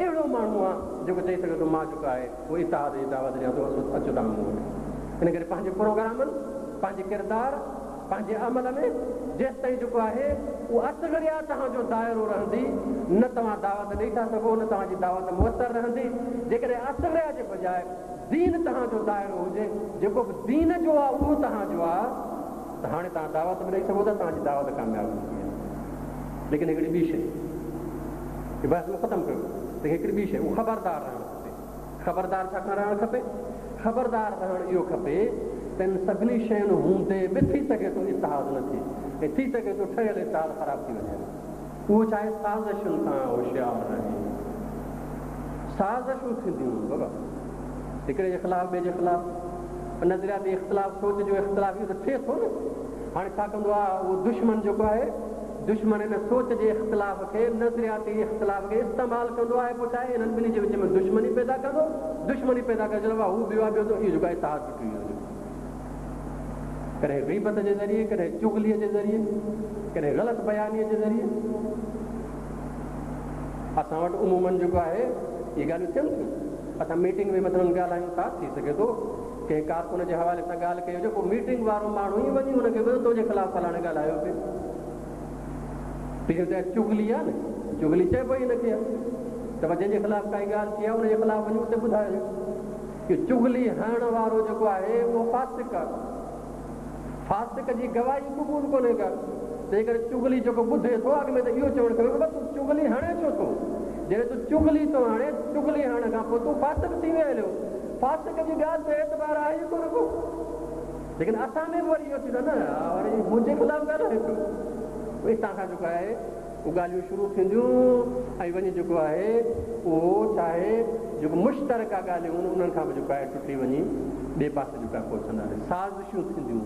اهڙو ماڻهو آ جيڪو چئي سگهي ٿو مان جيڪو آهي اهو اتحاد جي دعوت ڏيان ٿو اچو توهان مون وٽ. ان ڪري پنهنجي پروگرامن، پنهنجي ڪردار، پنهنجي عمل ۾ جيستائين جيڪو آهي اهو اصغريا توهان جو دائرو رهندي نه توهان دعوت ڏئي ٿا سگهو نه توهان جي دعوت موثر رهندي جيڪڏهن اصغريا جي بجاء دين توهان جو دائرو هجي جيڪو به دين جو آهي اهو توهان جو آهي ته هاڻي توهان دعوت به ڏئي سگهو ٿا توهان جي دعوت ڪامياب ٿيندي آهي ليڪن هڪڙي ٻي شيء بحث مون ختم ڪيو ليڪن هڪڙي ٻي شيء اهو خبردار رهڻ کپي خبردار ڇا کان رهڻ کپي؟ خبردار رهڻ اهو کپي ته ان سڀني شين هوندي به ٿي سگهي ٿو اتحاد نه ٿئي ۽ ٿي سگهي ٿو ٺهيل اتحاد خراب ٿي وڃي. اهو ڇا آهي؟ سازشن کان هوشيار رهي. سازشون ٿينديون بابا هڪڙي جي خلاف ٻئي جي خلاف نظرياتي اختلاف سوچ جو اختلاف اهو ته ٿئي ٿو نه. هاڻي ڇا ڪندو آهي اهو دشمن جيڪو آهي دشمن ان سوچ جي اختلاف کي، نظرياتي اختلاف کي استعمال ڪندو آهي پوء ڇا آهي انهن ٻنهي جي وچ ۾ دشمني پيدا ڪندو، دشمني پيدا ڪري چوندو آهي هو ٻيو آهي ٻيو ته اهو جيڪو آهي اتحاد ٽٽي ويو هليو. ڪڏهن غيبت جي ذريعي، ڪڏهن چغليء جي ذريعي، ڪڏهن غلط بيانيء جي ذريعي. اسان وٽ عموماً جيڪو آهي اهي ڳالهيون ٿين ٿيون. اسان ميٽنگ ۾ مثلاً ڳالهايون ٿا، ٿي سگهي ٿو ڪنهن ڪارڪن جي حوالي سان ڳالهه ڪئي هجي، پوء ميٽنگ وارو ماڻهو ئي وڃي هن کي ٻڌو تنهنجي خلاف فلاڻي ڳالهايو پئي. پهريون ته چغلي آهي نه، چغلي چئبو ئي هن کي آهي ته جنهن جي خلاف ڪائي ڳالهه ٿي آهي ان جي خلاف وڃي اتي ٻڌائجو. اهو چغلي هڻڻ وارو جيڪو آهي اهو فاسق آهي. فاسق جي گواهي قبول ڪونهي ڪا. تنهن ڪري چغلي جيڪو ٻڌي ٿو اڳ ۾ ته اهو چوڻ کپي بابا تون چغلي هڻين ڇو ٿو؟ جڏهن تون چغلي ٿو هڻين، چغلي هڻڻ کان پوء تون فاسق ٿي ويو هليو. فاسق جي ڳالهه تي اعتبار آهي ئي ڪونه ڪو. ليڪن اسان ۾ به وري اهو ٿيندو نه وري منهنجي خلاف ڳالهائي پيو. اتان کان جيڪو آهي اهو ڳالهيون شروع ٿينديون ۽ وڃي جيڪو آهي اهو ڇا آهي جيڪو مشترڪه ڳالهيون آهن انهن کان به جيڪو آهي ٽٽي وڃي ٻئي پاسي جيڪو آهي پهچنداسين. سازشون ٿينديون.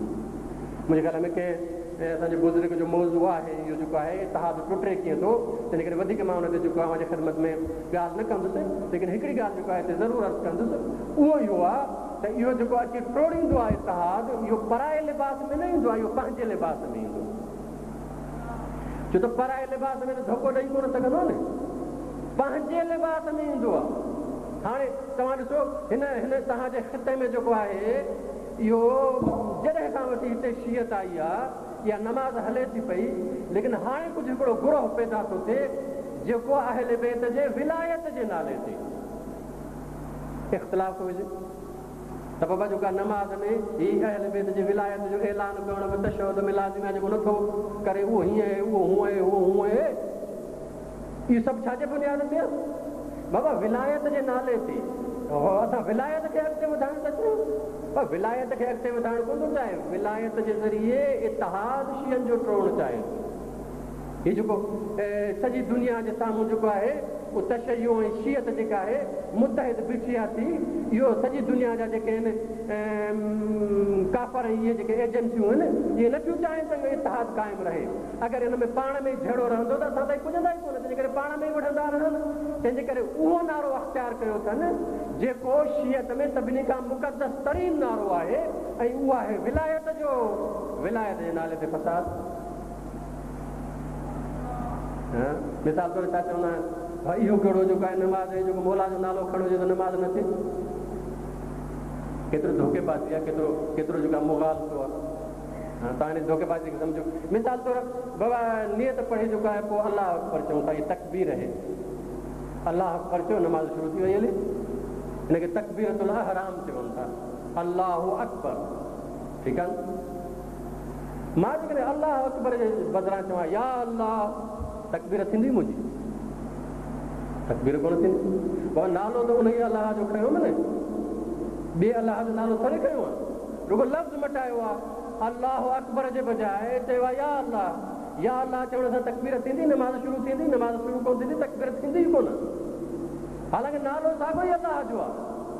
منهنجي خيال ۾ ڪنهن اسان جي بزرگ جو موضوع آهي اهو جيڪو آهي اتحاد ٽٽي ڪيئن ٿو تنهن ڪري وڌيڪ مان ان تي جيڪو اوهان جي خدمت ۾ ڳالهه نه ڪندس ليڪن هڪڙي ڳالهه جيڪو آهي هتي ضرور عرض ڪندس اهو اهو آهي ته اهو جيڪو اچي ٽوڙيندو آهي اتحاد اهو پرائي لباس ۾ نه ايندو آهي اهو پنهنجي لباس ۾ ايندو ڇو ته پرائي لباس ۾ ته ڌوڪو ڏئي ڪونه سگهندو نه پنهنجي لباس ۾ ايندو آهي هاڻي توهان ڏسو هن هن توهان جي خطي ۾ جيڪو آهي اهو جڏهن کان وٺي هتي شيعت آئي آ، اها نماز هلي ٿي پئي، ليڪن هاڻي ڪجهه هڪڙو گروهه پيدا ٿو ٿئي جيڪو اهل بيت جي ولايت جي نالي تي اختلاف ٿو وجهي ته بابا جيڪا نماز ۾ هي اهل بيت جي ولايت جو اعلان ڪرڻ به تشهد ۾ لازمي آهي، جيڪو نٿو ڪري اهو هيئن آهي، اهو هونئن آهي، اهو هونئن آهي. اهو سڀ ڇا جي بنياد تي آهي؟ بابا ولايت جي نالي تي اسان ولايت کي اڳتي وڌائڻ ٿا چاهيون. پر ولايت کي اڳتي وڌائڻ ڪونه ٿو چاهي، ولايت جي ذريعي اتحاد شيعن جو ٽوڙڻ چاهي ٿو. هي جيڪو سڄي دنيا جي سامهون جيڪو آهي اهو تشيع ۽ شيعت جيڪا آهي متحد بيٺي آهي ٿي، اهو سڄي دنيا جا جيڪي آهن ڪافر ۽ اهي جيڪي ايجنسيون آهن اهي نه ٿيون چاهين ته اهو اتحاد قائم رهي. اگر ان ۾ پاڻ ۾ جهيڙو رهندو ته اسان تائين پڄندا ئي ڪونه، تنهنجي ڪري پاڻ ۾ ئي وڙهندا رهن. تنهنجي ڪري اهو نعرو اختيار ڪيو اٿن، جيڪو شيعت ۾ سڀني کان مقدس ترين نعرو آهي ۽ اهو آهي ولايت جو. ولايت جي نالي تي فساد. مثال طور ڇا چوندا آهن، ڀائي اهو ڪهڙو جيڪو آهي نماز ۽ جيڪو مولا جو نالو کڻيو هجي ته نماز نه ٿئي. ڪيترو ڌوڪيبازي آهي، ڪيترو ڪيترو جيڪو آهي مغالطو آهي. توهان ان ڌوڪيبازي کي سمجهو. مثال طور بابا نيت پڙهي جيڪو آهي پوء الله اڪبر چئون ٿا هي تڪبير آهي. الله اڪبر چيو نماز شروع ٿي وئي هلي. ان کي تڪبيرة الاحرام چون ٿا. الله اڪبر ٺيڪ آهي نه. مان جيڪڏهن الله اڪبر جي بدران چوان يا الله تڪبير ٿيندي منهنجي؟ تڪبير ڪونه ٿيندي. بابا نالو ته انهيء الله جو کنيو نه، ٻئي الله جو نالو ٿوري کنيو آهي. رڳو لفظ مٽايو آ، الله اڪبر جي بجاء چيو آ يا الله. يا الله چوڻ سان تڪبير ٿيندي، نماز شروع ٿيندي، نماز شروع ڪونه ٿيندي، تڪبير ٿيندي ئي ڪونه. حالانڪه نالو ساڳيو ئي الله جو آ.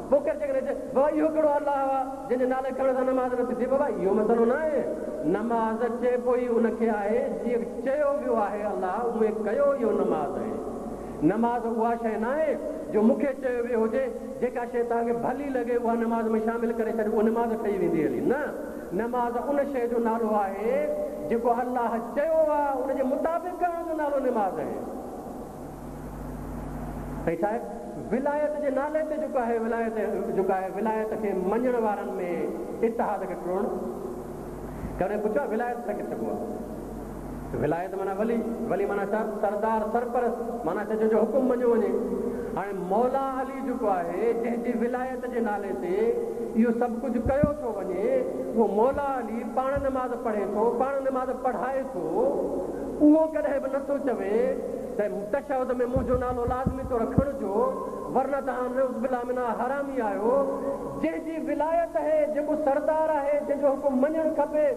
پوء ڪير جيڪڏهن چئي، بابا اهو ڪهڙو الله آ، جنهن جي نالي کڻڻ سان نماز نٿي ٿئي؟ بابا اهو مسئلو ناهي. نماز چئبو ئي ان کي آهي، جيئن چيو ويو آهي الله، اونئين ڪيو اهو نماز آهي. نماز اها شيء ناهي جو مون کي چيو ويو هجي، جيڪا شيء توهان کي ڀلي لڳي اها نماز ۾ شامل ڪري ڇڏ، اها نماز ٺهي ويندي هلي. نه، نماز ان شيء جو نالو آهي جيڪو الله چيو آهي، ان جي مطابق ڪرڻ جو نالو نماز آهي. ۽ ڇا آهي؟ ولايت جي نالي تي جيڪو آهي ولايت جيڪو آهي ولايت کي مڃڻ وارن ۾ اتحاد کي ٽوڙڻ. ڪڏهن پڇيو آهي ولايت ڇا کي چئبو آهي؟ ولايت معنيٰ ولي، ولي معنيٰ ڇا؟ سردار، سرپرست، معنيٰ ڇا جنهن جو حڪم مڃيو وڃي. هاڻي مولا علي جيڪو آهي، جنهن جي ولايت جي نالي تي اهو سڀ ڪجهه ڪيو ٿو وڃي، اهو مولا علي پاڻ نماز پڙهي ٿو، پاڻ نماز پڙهائي ٿو، اهو ڪڏهن به نٿو چوي ته تشهد ۾ منهنجو نالو لازمي طور کڻجو، ورنه توهان نعوذ بالله منها حرامي آهيو. جنهن جي ولايت آهي، جيڪو سردار آهي، جنهن جو حڪم مڃڻ کپي،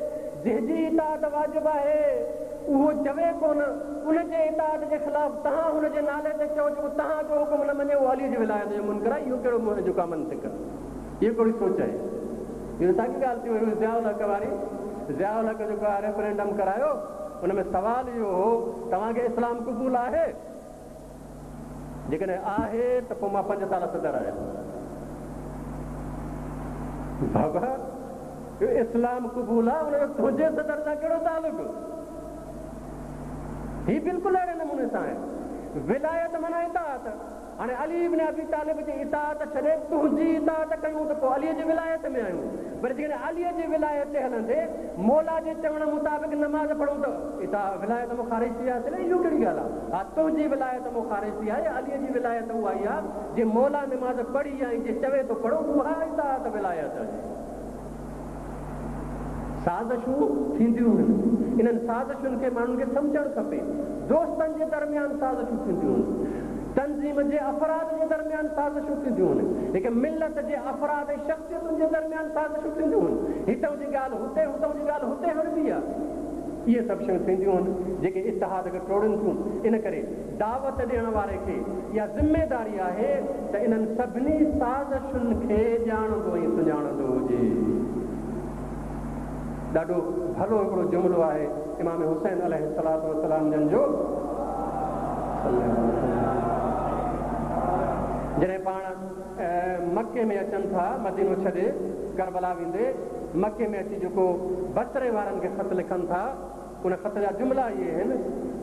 جنهن جي اطاعت واجب آهي، اهو چوي ڪونه، ان جي اطاعت جي خلاف توهان هن جي نالي تي چئو، جيڪو توهان جو حڪم نه مڃي، اهو علي جي ولايت جو منڪر آهي، اهو ڪهڙو جيڪو آهي منطق آهي؟ اهو ڪهڙي سوچ آهي؟ اهو ساڳي ڳالهه ٿي وئي ضياء الحق واري، ضياء الحق جيڪو آهي ريفرينڊم ڪرايو، ان ۾ سوال اهو هو، توهان کي اسلام قبول آهي؟ جيڪڏهن آهي ته پوء مان پنج سال صدر آهيان. بابا اهو اسلام قبول آهي ان جو تنهنجي صدر سان ڪهڙو تعلق؟ هي بلڪل اهڙي نموني سان آهي. ولايت معنيٰ اطاعت. هاڻي علي ابن ابي طالب جي اطاعت ڇڏي تنهنجي اطاعت ڪيون ته پوء علي جي ولايت ۾ آهيون. پر جيڪڏهن علي جي ولايت تي هلندي مولا جي چوڻ مطابق نماز پڙهون ته اطاعت ولايت مون خارج ٿي وياسين نه اهو ڪهڙي ڳالهه آهي؟ ها تنهنجي ولايت مون خارج ٿي آهي علي جي ولايت اها ئي آهي جي مولا نماز پڙهي ۽ جي چوي ٿو پڙهو اها اطاعت ولايت آهي. سازشون ٿينديون هن انهن سازشن کي ماڻهن کي سمجهڻ کپي. دوستن جي درميان سازشون ٿينديون هن. تنظيم جي افراد جي درميان سازشون ٿينديون هن. هڪ ملت جي افراد ۽ شخصيتن جي درميان سازشون ٿينديون هن. هتئون جي ڳالهه هتي، هتئون جي ڳالهه هتي هڻبي آ. اهي سڀ شيون ٿينديون هن، جيڪي اتحاد کي ٽوڙين ٿيون. ان ڪري دعوت ڏيڻ واري کي اها ذميداري آهي ته انهن سڀني سازشن کي ڄاڻندو ۽ سڃاڻندو هجي. ڏاڍو ڀلو هڪڙو جملو آهي امام حسين عليه الصلوة والسلام جن جو، جڏهن پاڻ مڪي ۾ اچن ٿا، مدينو ڇڏي ڪربلا ويندي مڪي ۾ اچي جيڪو بصري وارن کي خط لکن ٿا، ان خط جا جملا اهي آهن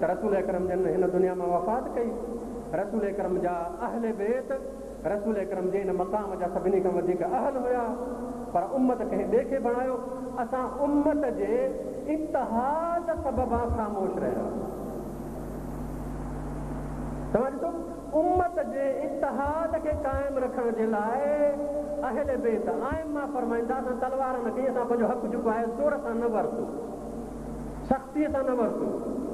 ته رسول اڪرم جن هن دنيا مان وفات ڪئي، رسول اڪرم جا اهل بيت رسول اڪرم جي ان مقام جا سڀني کان وڌيڪ اهل هيا، پر امت ڪنهن ٻئي کي بڻايو، اسان امت جي اتحاد سببان خاموش رهيا. توهان ڏسو امت جي اتحاد کي قائم رکڻ جي لاء اهل بيت ائمه فرمائن ٿا اسان تلوار نه کنئي اسان پنهنجو حق جيڪو آهي زور سان نه ورتو سختيء سان نه ورتو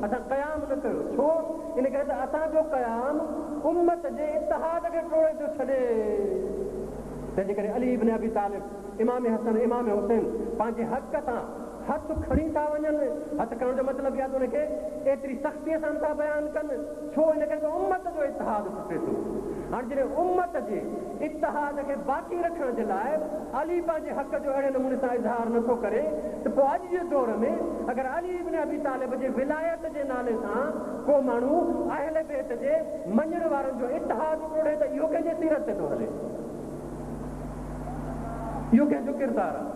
اسان قيام نه ڪيو ڇو ان ڪري ته اسان جو قيام امت جي اتحاد کي ٽوڙي ٿو ڇڏي تنهن جي ڪري علي ابن ابي طالب امام حسن امام حسين پنهنجي حق تان هٿ کڻي ٿا وڃن. هٿ کڻڻ جو مطلب اهو آهي ته ان کي ايتري سختيء سان نٿا بيان ڪن. ڇو؟ ان ڪري ته امت جو اتحاد ٽٽي ٿو. هاڻ جڏهن امت جي اتحاد کي باقي رکڻ جي لاء علي پنهنجي حق جو اهڙي نموني سان اظهار نٿو ڪري ته پوء اڄ جي دور ۾ اگر علي ابن ابي طالب جي ولايت جي نالي سان ڪو ماڻهو اهل بيت جي مڃڻ وارن جو اتحاد ٽوڙي ته اهو ڪنهن جي سيرت تي ٿو هلي؟ اهو ڪنهن جو ڪردار آهي؟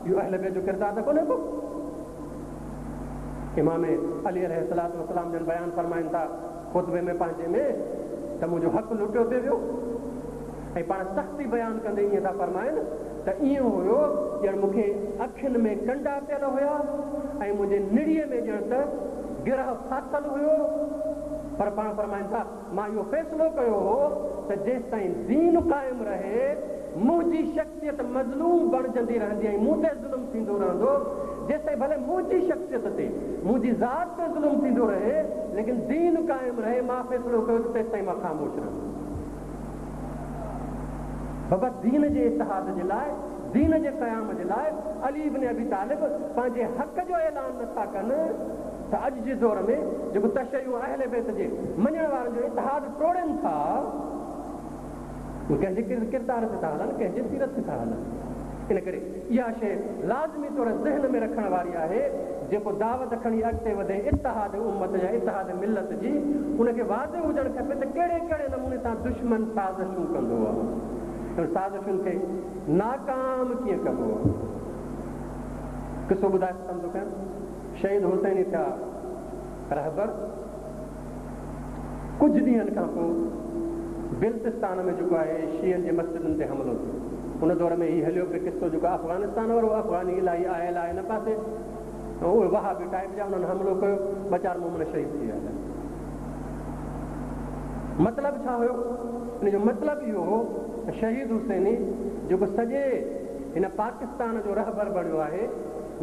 اهو اهل بيت جو ڪردار ته ڪونهي ڪو. امام علي عليه الصلوة والسلام جن بيان فرمائن ٿا خطبي ۾ پنهنجي ۾ ته منهنجو حق لٽيو پي ويو ۽ پاڻ سختي بيان ڪندي ائين ٿا فرمائن ته ائين هيو ڄڻ مون کي اکين ۾ ڪنڊا پيل هيا ۽ منهنجي نڙيء ۾ ڄڻ ته گرهه ڦاٿل هيو پر پاڻ فرمائن ٿا مان اهو فيصلو ڪيو هو ته جيستائين دين قائم رهي، منهنجي شخصيت مظلوم بڻجندي رهندي ۽ مون تي ظلم ٿيندو رهندو، جيستائين ڀلي منهنجي شخصيت تي، منهنجي ذات تي ظلم ٿيندو رهي، ليڪن دين قائم رهي، مان فيصلو ڪيو ته تيستائين مان خاموش رهندس. بابا دين جي اتحاد جي لاء، دين جي قيام جي لاء علي ابن ابي طالب پنهنجي حق جو اعلان نٿا ڪن، ته اڄ جي دور ۾ جيڪو تشيع اهل بيت جي مڃڻ وارن جو اتحاد ٽوڙين ٿا، اهي ڪنهن جي ڪردار تي ٿا هلن، ڪنهن جي سيرت تي ٿا هلن. ان ڪري اها شيء لازمي طور ذهن ۾ رکڻ واري آهي، جيڪو دعوت کڻي اڳتي وڌي اتحاد امت يا اتحاد ملت جي، ان کي واضح هجڻ کپي ته ڪهڙي ڪهڙي نموني سان دشمن سازشون ڪندو آهي ۽ سازشن کي ناڪام ڪيئن ڪبو آهي. قصو ٻڌائي ختم ٿو ڪيان. شهيد حسيني ٿيا رهبر. ڪجهه ڏينهن کان پوء بلتستان ۾ جيڪو آهي شيعن جي مسجدن تي حملو ٿيو. ان دور ۾ هي هليو پئي قصو جيڪو افغانستان وارو افغاني الاهي آيل آهي هن پاسي ۽ اهي وهابي ٽائيپ جا انهن حملو ڪيو ٻه چار مومن شهيد ٿي ويا. مطلب ڇا هيو؟ ان جو مطلب اهو هو ته شهيد حسيني جيڪو سڄي هن پاڪستان جو رهبر بڻيو آهي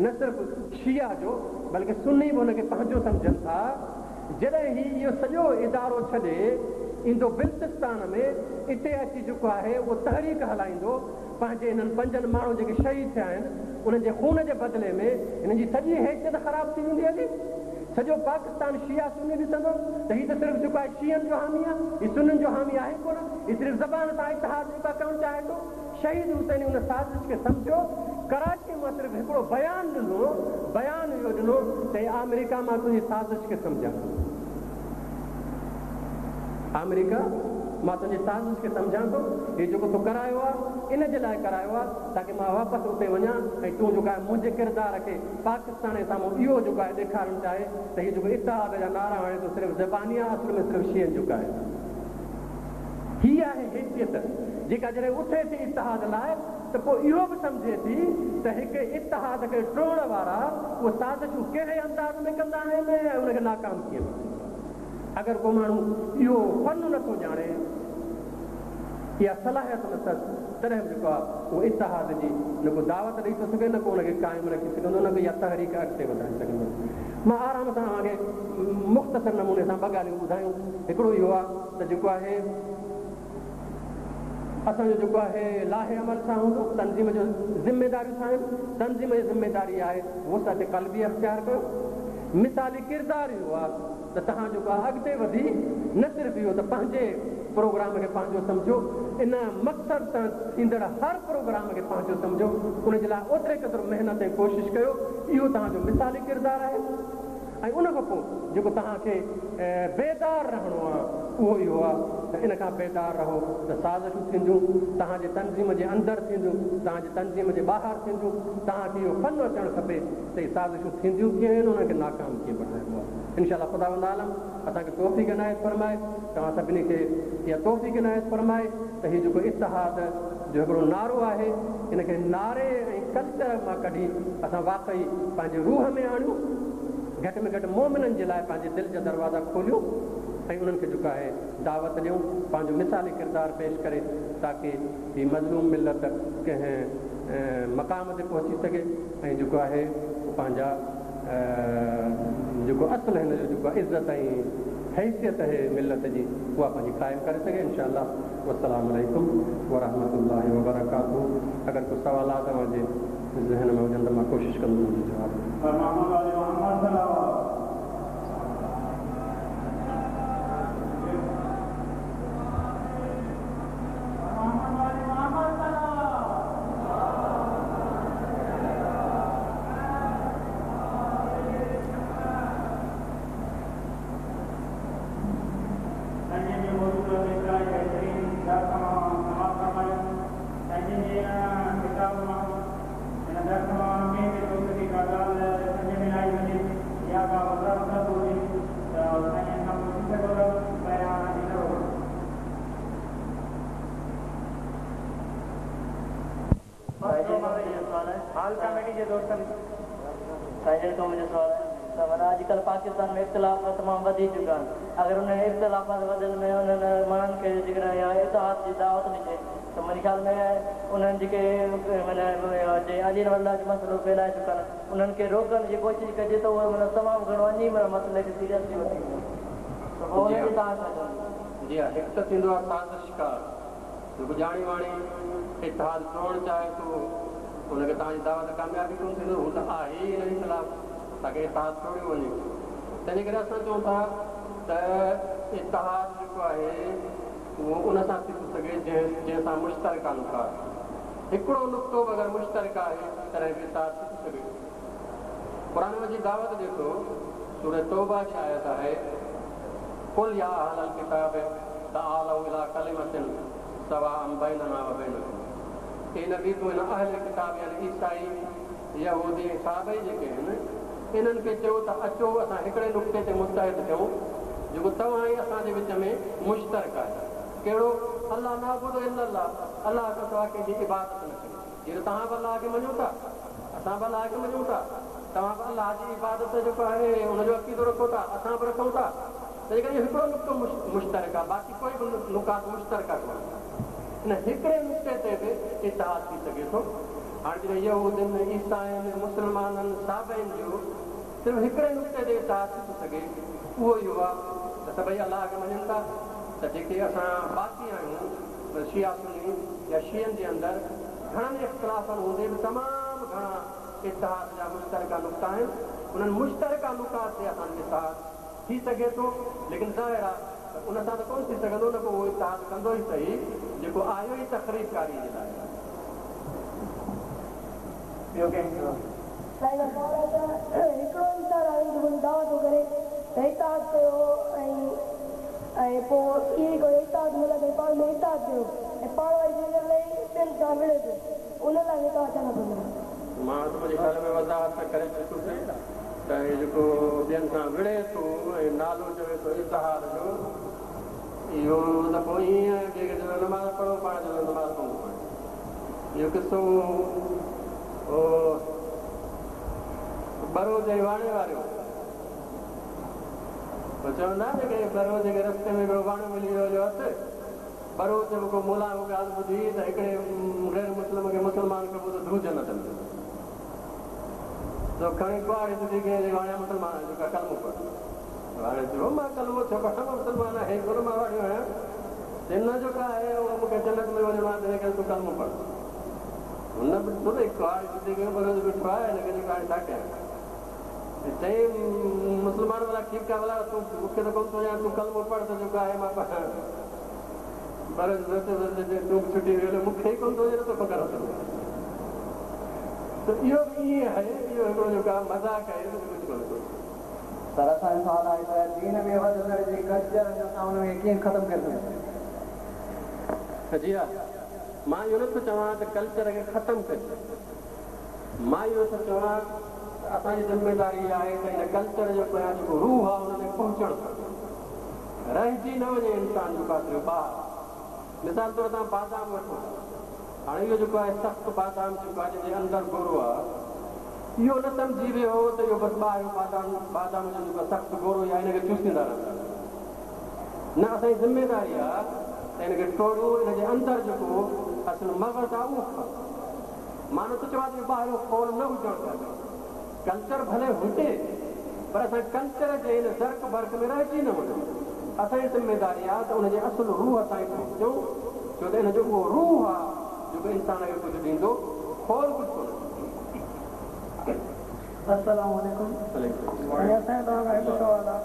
نه صرف شيعه جو بلڪه سني به هن کي پنهنجو سمجهن ٿا. جڏهن هي اهو سڄو ادارو ڇڏي ايندو بلتستان ۾ اتي اچي جيڪو آهي اهو تحريڪ هلائيندو پنهنجي انهن پنجن ماڻهن جيڪي شهيد ٿيا آهن انهن جي خون جي بدلي ۾ هنن جي سڄي حيثيت خراب ٿي ويندي هلي. سڄو پاڪستان شيعه سني ڏسندو ته هي ته صرف جيڪو آهي شيعن جو حامي آهي هي سنين جو حامي آهي ڪونه هي صرف زبان سان اتحاد جيڪو آهي ڪرڻ چاهي ٿو. شهيد حسيني ان سازش کي سمجهيو، ڪراچيء مان صرف هڪڙو بيان ڏنو، بيان اهو ڏنو ته اي آمريڪا مان تنهنجي سازش کي سمجهان ٿو. آمريڪا مان تنهنجي سازش کي سمجهان ٿو، هي جيڪو تو ڪرايو آ، ان جي لاء ڪرايو آ، تاڪه مان واپس اتي وڃان ۽ تون جيڪو آهي منهنجي ڪردار کي پاڪستان جي سامهون اهو جيڪو آهي ڏيکارڻ چاهي ته هي جيڪو اتحاد جا نعرا هڻي ٿو صرف زباني آ، اصل ۾ صرف شيعن جو قائد آ. هي آهي حيثيت جيڪا جڏهن اٿي ٿي اتحاد لاء ته پوء اهو به سمجهي ٿي ته هڪ اتحاد کي ٽوڙڻ وارا اهي سازشون ڪهڙي انداز ۾ ڪندا آهن ۽ ان کي ناڪام ڪيئن ڪبو آهي. اگر ڪو ماڻهو اهو فن نه ٿو ڄاڻي، اها صلاحيت نه اٿس، تڏهن به جيڪو آهي اهو اتحاد جي نه ڪو دعوت ڏئي ٿو سگهي، نه ڪو ان کي قائم رکي سگهندو، نه ڪو اها تحريڪ اڳتي وڌائي سگهندو. مان آرام سان اوهان کي مختصر نموني سان ٻه ڳالهيون ٻڌايون. هڪڙو اهو آهي ته جيڪو آهي اسان جو جيڪو آهي لائحه عمل ڇا هوندو، تنظيم جو ذميداريون ڇا آهن، تنظيم جي ذميداري آهي وسعت قلبي اختيار ڪيو، مثالي ڪردار اهو آهي ته توهان جيڪو آهي اڳتي وڌي نه صرف اهو ته پنهنجي پروگرام کي پنهنجو سمجهو، ان مقصد سان ٿيندڙ هر پروگرام کي پنهنجو سمجهو، ان جي لاء اوتري قدر محنت ۽ ڪوشش ڪيو، اهو توهان جو مثالي ڪردار آهي. ۽ ان کان پوء جيڪو توهان کي بيدار رهڻو آ اهو اهو آ ته ان کان بيدار رهو ته سازشون ٿينديون، توهان جي تنظيم جي اندر ٿينديون، توهان جي تنظيم جي ٻاهر ٿينديون، توهان کي اهو فن اچڻ کپي ته اهي سازشون ٿينديون ڪيئن آهن انهن کي ناڪام ڪيئن بڻائبو آ. انشاء الله خداوند عالم اسان کي توفيق عنايت فرمائي، توهان سڀني کي اها توفيق عنايت فرمائي ته هي جيڪو اتحاد جو هڪڙو نعرو آهي ان کي نعري ۽ ڪلچر مان ڪڍي اسان واقعي پنهنجي روح ۾ آڻيون، گهٽ ۾ گهٽ مؤمنن جي لاء پنهنجي دل جا دروازا کوليون ۽ انهن کي جيڪو آهي دعوت ڏيون، پنهنجو مثالي ڪردار پيش ڪري تاڪه هي مظلوم ملت ڪنهن مقام تي پهچي سگهي ۽ جيڪو آهي پنهنجا جيڪو اصل هن جو جيڪو عزت ۽ حيثيت آهي ملت جي اها پنهنجي قائم ڪري سگهي انشاء الله والسلام عليڪم ورحمة الله وبرڪاته اگر ڪو سوالات اوهان جي ذهن ۾ هجن ته مان ڪوشش ڪندس ان جو جواب ڏيان. پر محمد وآل محمد صلوات. سائين جن جي موجوده انتهائي بهترين درس مان سماعت فرمايو. سائين جن جي ان ڪتاب مان هن درس مان ڪنهن به دوست کي ڪا ڳالهه سمجهه ۾ نه آئي هجي يا ڪا وضاحت طلب هجي ته سائين جن کان پڇي سگهو ٿا بيان ڏيندو. هال ڪميٽي جي دوستن. سائين جن کان منهنجو سوال آهي ته معنيٰ اڄ ڪلهه پاڪستان ۾ اختلاف تمام وڌي چڪا آهن اگر انهن اختلافات وڌڻ ۾ انهن ماڻهن کي جيڪڏهن اها اتحاد جي دعوت ڏجي ته منهنجي خيال ۾ انهن جيڪي معنيٰ جي علي الله جو مسئلو ڦهلائي چڪا آهن انهن کي روڪڻ جي ڪوشش ڪجي ته اهي معنيٰ تمام گهڻو اڃي معنيٰ مسئلي کي سيريسلي وٺي ويندا ته پوء جي انهن ها جي توهان ڇا چوندو. جي ها هڪ ته ٿيندو آهي سازشڪار. جيڪو ڄاڻي واڻي اتحاد ٽوڙڻ چاهي ٿو، ان کي توهان جي دعوت ڪامياب ئي ڪونه ٿيندو، هو ته آهي ئي ان جي خلاف تاڪه اتحاد ٽوڙيو وڃي. تنهنجي ڪري اسان چئون ٿا ته اتحاد جيڪو آهي اهو ان سان ٿي ٿو سگهي جنهن جنهن سان مشترڪه نقاط، هڪڙو نقطو به اگر مشترڪه آهي تڏهن به اتحاد ٿي ٿو سگهي. قرآن مجيد دعوت ڏئي ٿو، سورة توبه جي آيت آهي، قل يا اهل الڪتاب تعالوا الي ڪلمة سواء بيننا وبينڪم اي نبي تون هن اهل ڪتاب يعني عيسائي، يهودي ۽ صابئي جيڪي آهن انهن کي چئو ته اچو اسان هڪڙي نقطي تي متحد ٿيون جيڪو توهان ۽ اسان جي وچ ۾ مشترڪ آهي ڪهڙو؟ الا نعبد الا الله الله کان سواء ڪنهن جي عبادت نه ڪريون جيئن ته توهان به الله کي مڃو ٿا اسان به الله کي مڃون ٿا توهان به الله جي عبادت جيڪو آهي ان جو عقيدو رکو ٿا اسان به رکون ٿا تنهن ڪري اهو هڪڙو نقطو مشترڪ آهي باقي ڪوئي به نقاط مشترڪه ڪونهن. ان هڪڙي نقطي تي به اتحاد ٿي سگهي ٿو. هاڻي جڏهن يهودين، عيسائين، مسلمانن، صابئين جو صرف هڪڙي نقطي تي اتحاد ٿي ٿو سگهي اهو اهو آهي ته سڀئي الله کي مڃن ٿا ته جيڪي اسان باقي آهيون شيعا سني يا شيعن جي اندر گهڻن اختلافن هوندي به تمام گهڻا اتحاد جا مشترڪه نقطا آهن انهن مشترڪه نقاط تي اسان جو اتحاد ٿي سگهي ٿو، ليڪن ظاهر آ ته ان سان ته ڪونه ٿي سگهندو نه ڪو اهو اتحاد ڪندو ئي سهي جيڪو آيو ئي تخريب ڪاريء جي لاء آهي. ٻيو ڪنهن کي سوال؟ سائين مان سوال آهي ته هڪڙو انسان آهي جيڪو دعويٰ ٿو ڪري ته اتحاد ڪيو ۽ ۽ پوء اهي ئي ڪيو اتحاد مطلب ڀئي پاڻ ۾ اتحاد ڪيو ۽ پاڻ وري جنهن لاء ٻين سان وڙهي ٿو ان لاء توهان ڇا ٿا فرمايو؟ مان ته منهنجي خيال ۾ وضاحت ته ڪري چڪس. ته هي جيڪو ٻين سان وڙهي ٿو ۽ نالو چوي ٿو اتحاد جو، اهو ته پوء ائين آهي ٻئي کي چوندو نماز پڙهو پاڻ چوندو نماز ڪونه ٿو پڙهي. اهو قصو هو ٻروچ ۽ واڻي وارو. پوء چوندا آهن جيڪي ٻروچ کي رستي ۾ هڪڙو واڻيو ملي ويو جو هٿ ٻروچ به ڪو ملان کان ڳالهه ٻڌي ته هڪڙي غير مسلم کي مسلمان ڪبو ته ڌو جنت ۾. سو کڻي ڪهاڙي سڌي ڪيائين چي واڻيا مسلمان آهيان جيڪا ڪلمو پڙهه. واڻيي چيو مان ڪلمو ڇو پڙهان مان مسلمان آهيان ئي ڪونه مان واڻيو آهيان. چي نه جو ڪا آهي اهو مون کي جنت ۾ وڃڻو آهي تنهنجي ڪري تون ڪلمو پڙهه. هن به ڏٺو ته هي ڪهاڙي سڌي ڪيو ٻروچ بيٺو آهي هن کي جيڪو هاڻي ڇا ڪيان. چيائين مسلمان ڀلا ٺيڪ آهي ڀلا تون مون کي ته ڪونه ٿو ڄاڻ تون ڪلمو پڙهه ته جيڪو آهي مان پڙهان. ٻروچ سوچيو ته چيائين تون به ڇٽي ويو مون کي ئي ڪونه ٿو ڄاڻ توکان ڪران ٿو. ته اهو به ائين آهي، اهو هڪڙو جيڪو آهي مذاق آهي ٻيو ڪجهه ڪونهي ڪو. سر اسان جو سوال آهي ته دين ۾ وڌندڙ جي ڪلچر اسان ان کي ڪيئن ختم ڪري سگهون ٿا؟ جي ها مان اهو نٿو چوان ته ڪلچر کي ختم ڪجي. مان اهو ٿو چوان ته اسان جي ذميداري اها آهي ته ان ڪلچر جو پويان جيڪو روح آهي ان تائين پهچڻ کپي. رهجي نه وڃي انسان جو ڪاتريو ٻاهر. مثال طور توهان بادام وٺو. هاڻي اهو جيڪو آهي سخت بادام جيڪو آهي جنهن جي اندر گورو آهي اهو نه سمجهي ويهو ته اهو بس ٻاهريون بادام بادام جو جيڪو آهي سخت گورو ئي آهي ان کي چوسيندا رهندا. نه اسان جي ذميداري آهي ته ان کي ٽوڙيون ان جي اندر جيڪو اصل مغز آهي اهو کائون. مان نٿو چوان ته اهو ٻاهريون خول نه هجڻ کپي. ڪلچر ڀلي هجي پر اسان ڪلچر جي ان زرق برق ۾ رهجي نه وڃون. اسان جي ذميداري آهي ته ان جي اصل روح تائين پهچون ڇو ته ان جو اهو روح آهي جيڪو انسان کي ڪجهه ڏيندو، خول ڪجهه ڪونه ڏيندو. السلام عليڪم سائين اسان جو توهان کان هڪ سوال آ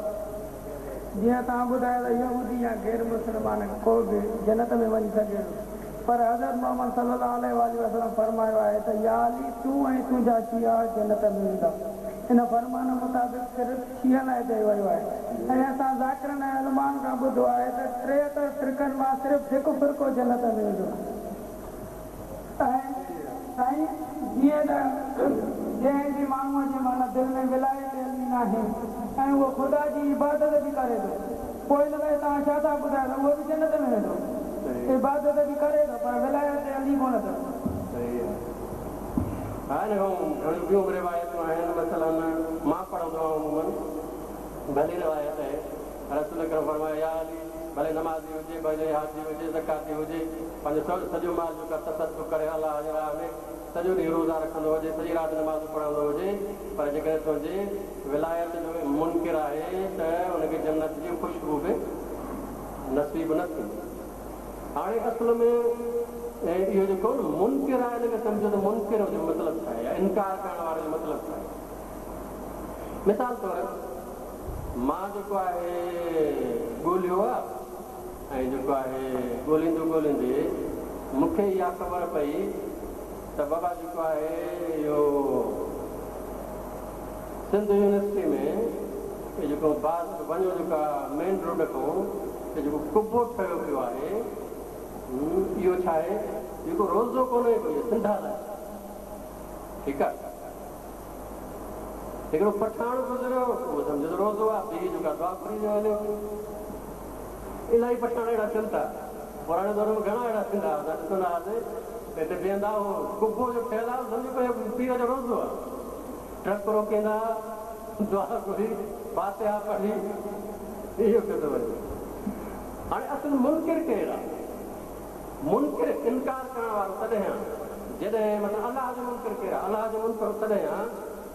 جيئن توهان ٻڌايو ته يهودي يا غير مسلمان ڪو به جنت ۾ وڃي سگهي ٿو پر حضرت محمد صلي الله عليه واٰله وسلم فرمايو آهي ته يا علي تون ۽ تنهنجا شيعا جنت ۾ ويندا ان فرمان مطابق صرف شيعن لاء چيو ويو آهي ۽ اسان ذاڪرن ۽ علمائن کان ٻڌو آهي ته 73 فرقن مان صرف هڪ فرقو جنت ۾ ويندو ۽ سائين جيئن ته جنهن به ماڻهوء جي معنيٰ دل ۾ ولايت علي ناهي ۽ اهو خدا جي عبادت به ڪري ٿو پوء ان لاء توهان ڇا ٿا ٻڌايو ته اهو به جنت ۾ ويندو؟ عبادت به ڪري ٿو پر ولايت علي ڪونه اٿس. صحيح آهي. ها ان کان گهڻيون ٻيون به روايتون آهن مثلاً مان پڙهندو آهيان عموماً ڀلي روايت آهي رسول اڪرم فرمايو يا علي ڀلي نمازي هجي ڀلي حاجي هجي زڪواتي هجي پنهنجو سڄو مال جيڪو آهي تصدق ڪري الله جي راهه ۾ سڄو ڏينهن روزا رکندو هجي سڄي رات نمازون پڙهندو هجي پر جيڪڏهن تنهنجي ولايت جو منڪر آهي ته ان کي جنت جي خوشبو به نصيب نه ٿيندي. هاڻي اصل ۾ اهو جيڪو منڪر آهي ان کي سمجهو ته منڪر جو مطلب ڇا آهي يا انڪار ڪرڻ واري جو مطلب ڇا آهي. مثال طور مان جيڪو آهي ڳولهيو آهي ۽ جيڪو آهي ڳولهيندو ڳولهيندي مون کي اها خبر پئي ته بابا جيڪو آهي اهو سنڌ يونيورسٽي ۾ اهو جيڪو باز وڃو جيڪو آهي مين روڊ کان اهو جيڪو قبو ٺهيو پيو آهي اهو ڇا آهي جيڪو روضو ڪونهي ڪو اهو سنڍال آهي ٺيڪ آهي هڪڙو پٺاڻ گذريو اهو سمجهيو ته روضو آهي بيهي جيڪو آهي دعا گهري جو هليو الاهي پٺاڻ اهڙا ٿين ٿا پراڻي دور ۾ گهڻا اهڙا ٿيندا هئا اسان ڏسندا هئاسين ته هتي بيهندا اهو قبو جو ٺهيل آهي سمجهو پيو پير جو روضو آهي ٽرڪ روڪيندا دعا گهري فاتحه پڙهي اهو پيو ٿو وڃي هاڻي اصل منڪر ڪير آهي منڪر انڪار ڪرڻ وارو تڏهن آهي جڏهن مطلب الله جو منڪر ڪير آهي الله جو منڪر تڏهن آهي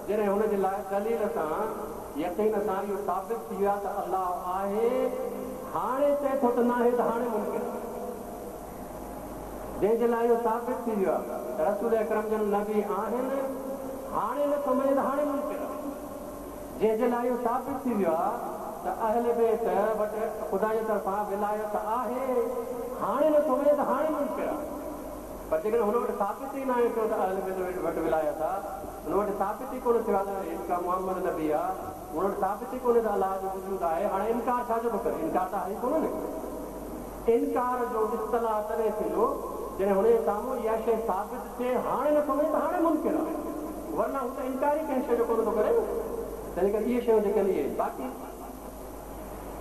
جڏهن هن جي لاء دليل سان يقين سان اهو ثابت ٿي ويو آهي ته الله آهي هاڻي چئي ٿو ته ناهي ته هاڻي منڪر آهي. جنهن جي لاء اهو ثابت ٿي ويو آهي ته رسول اڪرم جن نبي آهن، هاڻي نه ٿو مڃي ته هاڻي منڪر آهي. جنهن جي لاء اهو ثابت ٿي ويو آهي ته اهل بيت وٽ خدا جي طرفان ولايت آهي، هاڻي نه ٿو مڃي ته هاڻي منڪر آهي. پر جيڪڏهن هن وٽ ثابت ئي ناهي ٿيو ته اهل بيت وٽ ولايت آهي، هن وٽ ثابت ئي ڪونه ٿيو آهي ته جيڪا محمد نبي آهي، هن وٽ ثابت ئي ڪونهي ته الله جو وجود آهي، هاڻي انڪار ڇا جو ٿو ڪري؟ انڪار ته آهي ئي ڪونه نه. انڪار جو اصطلاح تڏهن ٿيندو جڏهن هن جي سامهون اها شيء ثابت ٿئي، هاڻي نٿو مڃي ته هاڻي منڪر آهي، ورنه هو ته انڪار ئي ڪنهن شيء جو ڪونه ٿو ڪري نه. تنهن ڪري اهي شيون جيڪي آهن اهي باقي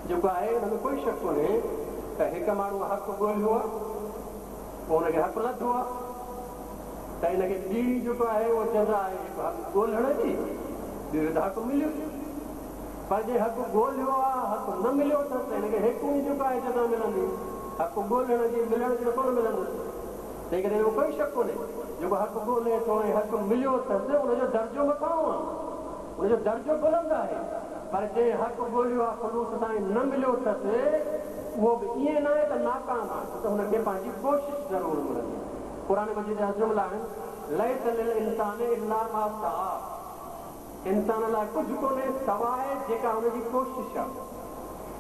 جيڪو آهي ان ۾ ڪوئي شڪ ڪونهي ته هڪ ماڻهوء حق ڳولهيو آهي، پوء هن کي حق لڌو آهي ته ان کي ٻيڻي جيڪو آهي اهو جزا آهي هڪ حق ڳولهڻ جي، ٻيو ته حق مليو. پر جنهن حق ڳولهيو آ، حق نه مليو اٿس ته هن کي هيڪوڻي جيڪو آهي جزا ملندي. حق ڳولهڻ جي ملڻ جي ته ڪونه ملندس. تنهن ڪري ان ۾ ڪوئي شڪ ڪونهي، جيڪو حق ڳولهي ٿو ۽ حق مليو اٿس، ان جو درجو مٿانهون آ، ان جو درجو بلند آهي. پر جنهن حق ڳولهيو آ خلوص سان ۽ نه مليو اٿس، اهو به ائين ناهي ته ناڪام آ، ڇو ته هن کي پنهنجي ڪوشش ضرور ملندي. قرآن مجيد جا جملا آهن، ليس للانسان الا ما سعيٰ. انسان لاء ڪجهه ڪونهي سواء جيڪا هن جي ڪوشش آ.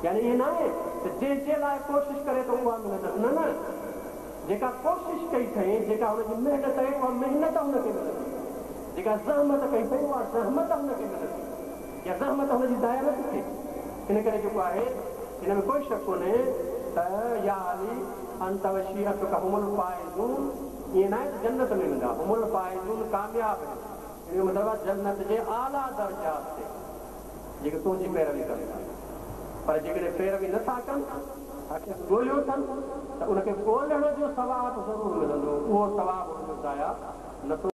يعني ائين ناهي ته جنهن جي لاء ڪوشش ڪري ٿو اها ملندس نه نه جيڪا ڪوشش ڪئي اٿئين جيڪا هن جي محنت آهي اها محنت هن کي ملندي جيڪا زحمت ڪئي اٿئين اها زحمت هن کي ملندي. يا زحمت هن جي ضايع نه ٿي ٿئي. ان ڪري جيڪو آهي ان ۾ ڪوئي شڪ ڪونهي ته يا علي انت وشيعتک هم الفائزون ائين ناهي ته جنت ۾ ويندا، هم الفائزون ڪامياب آهن ان جو مطلب آهي جنت جي اعليٰ درجات تي جيڪي تنهنجي پيروي ڪن ٿا پر جيڪڏهن پيروي نه ٿا ڪن حق کي ڳوليو اٿن ته ان کي ڳولڻ جو ثواب ضرور ملندو اهو ثواب هن جو ضايع نه ٿو.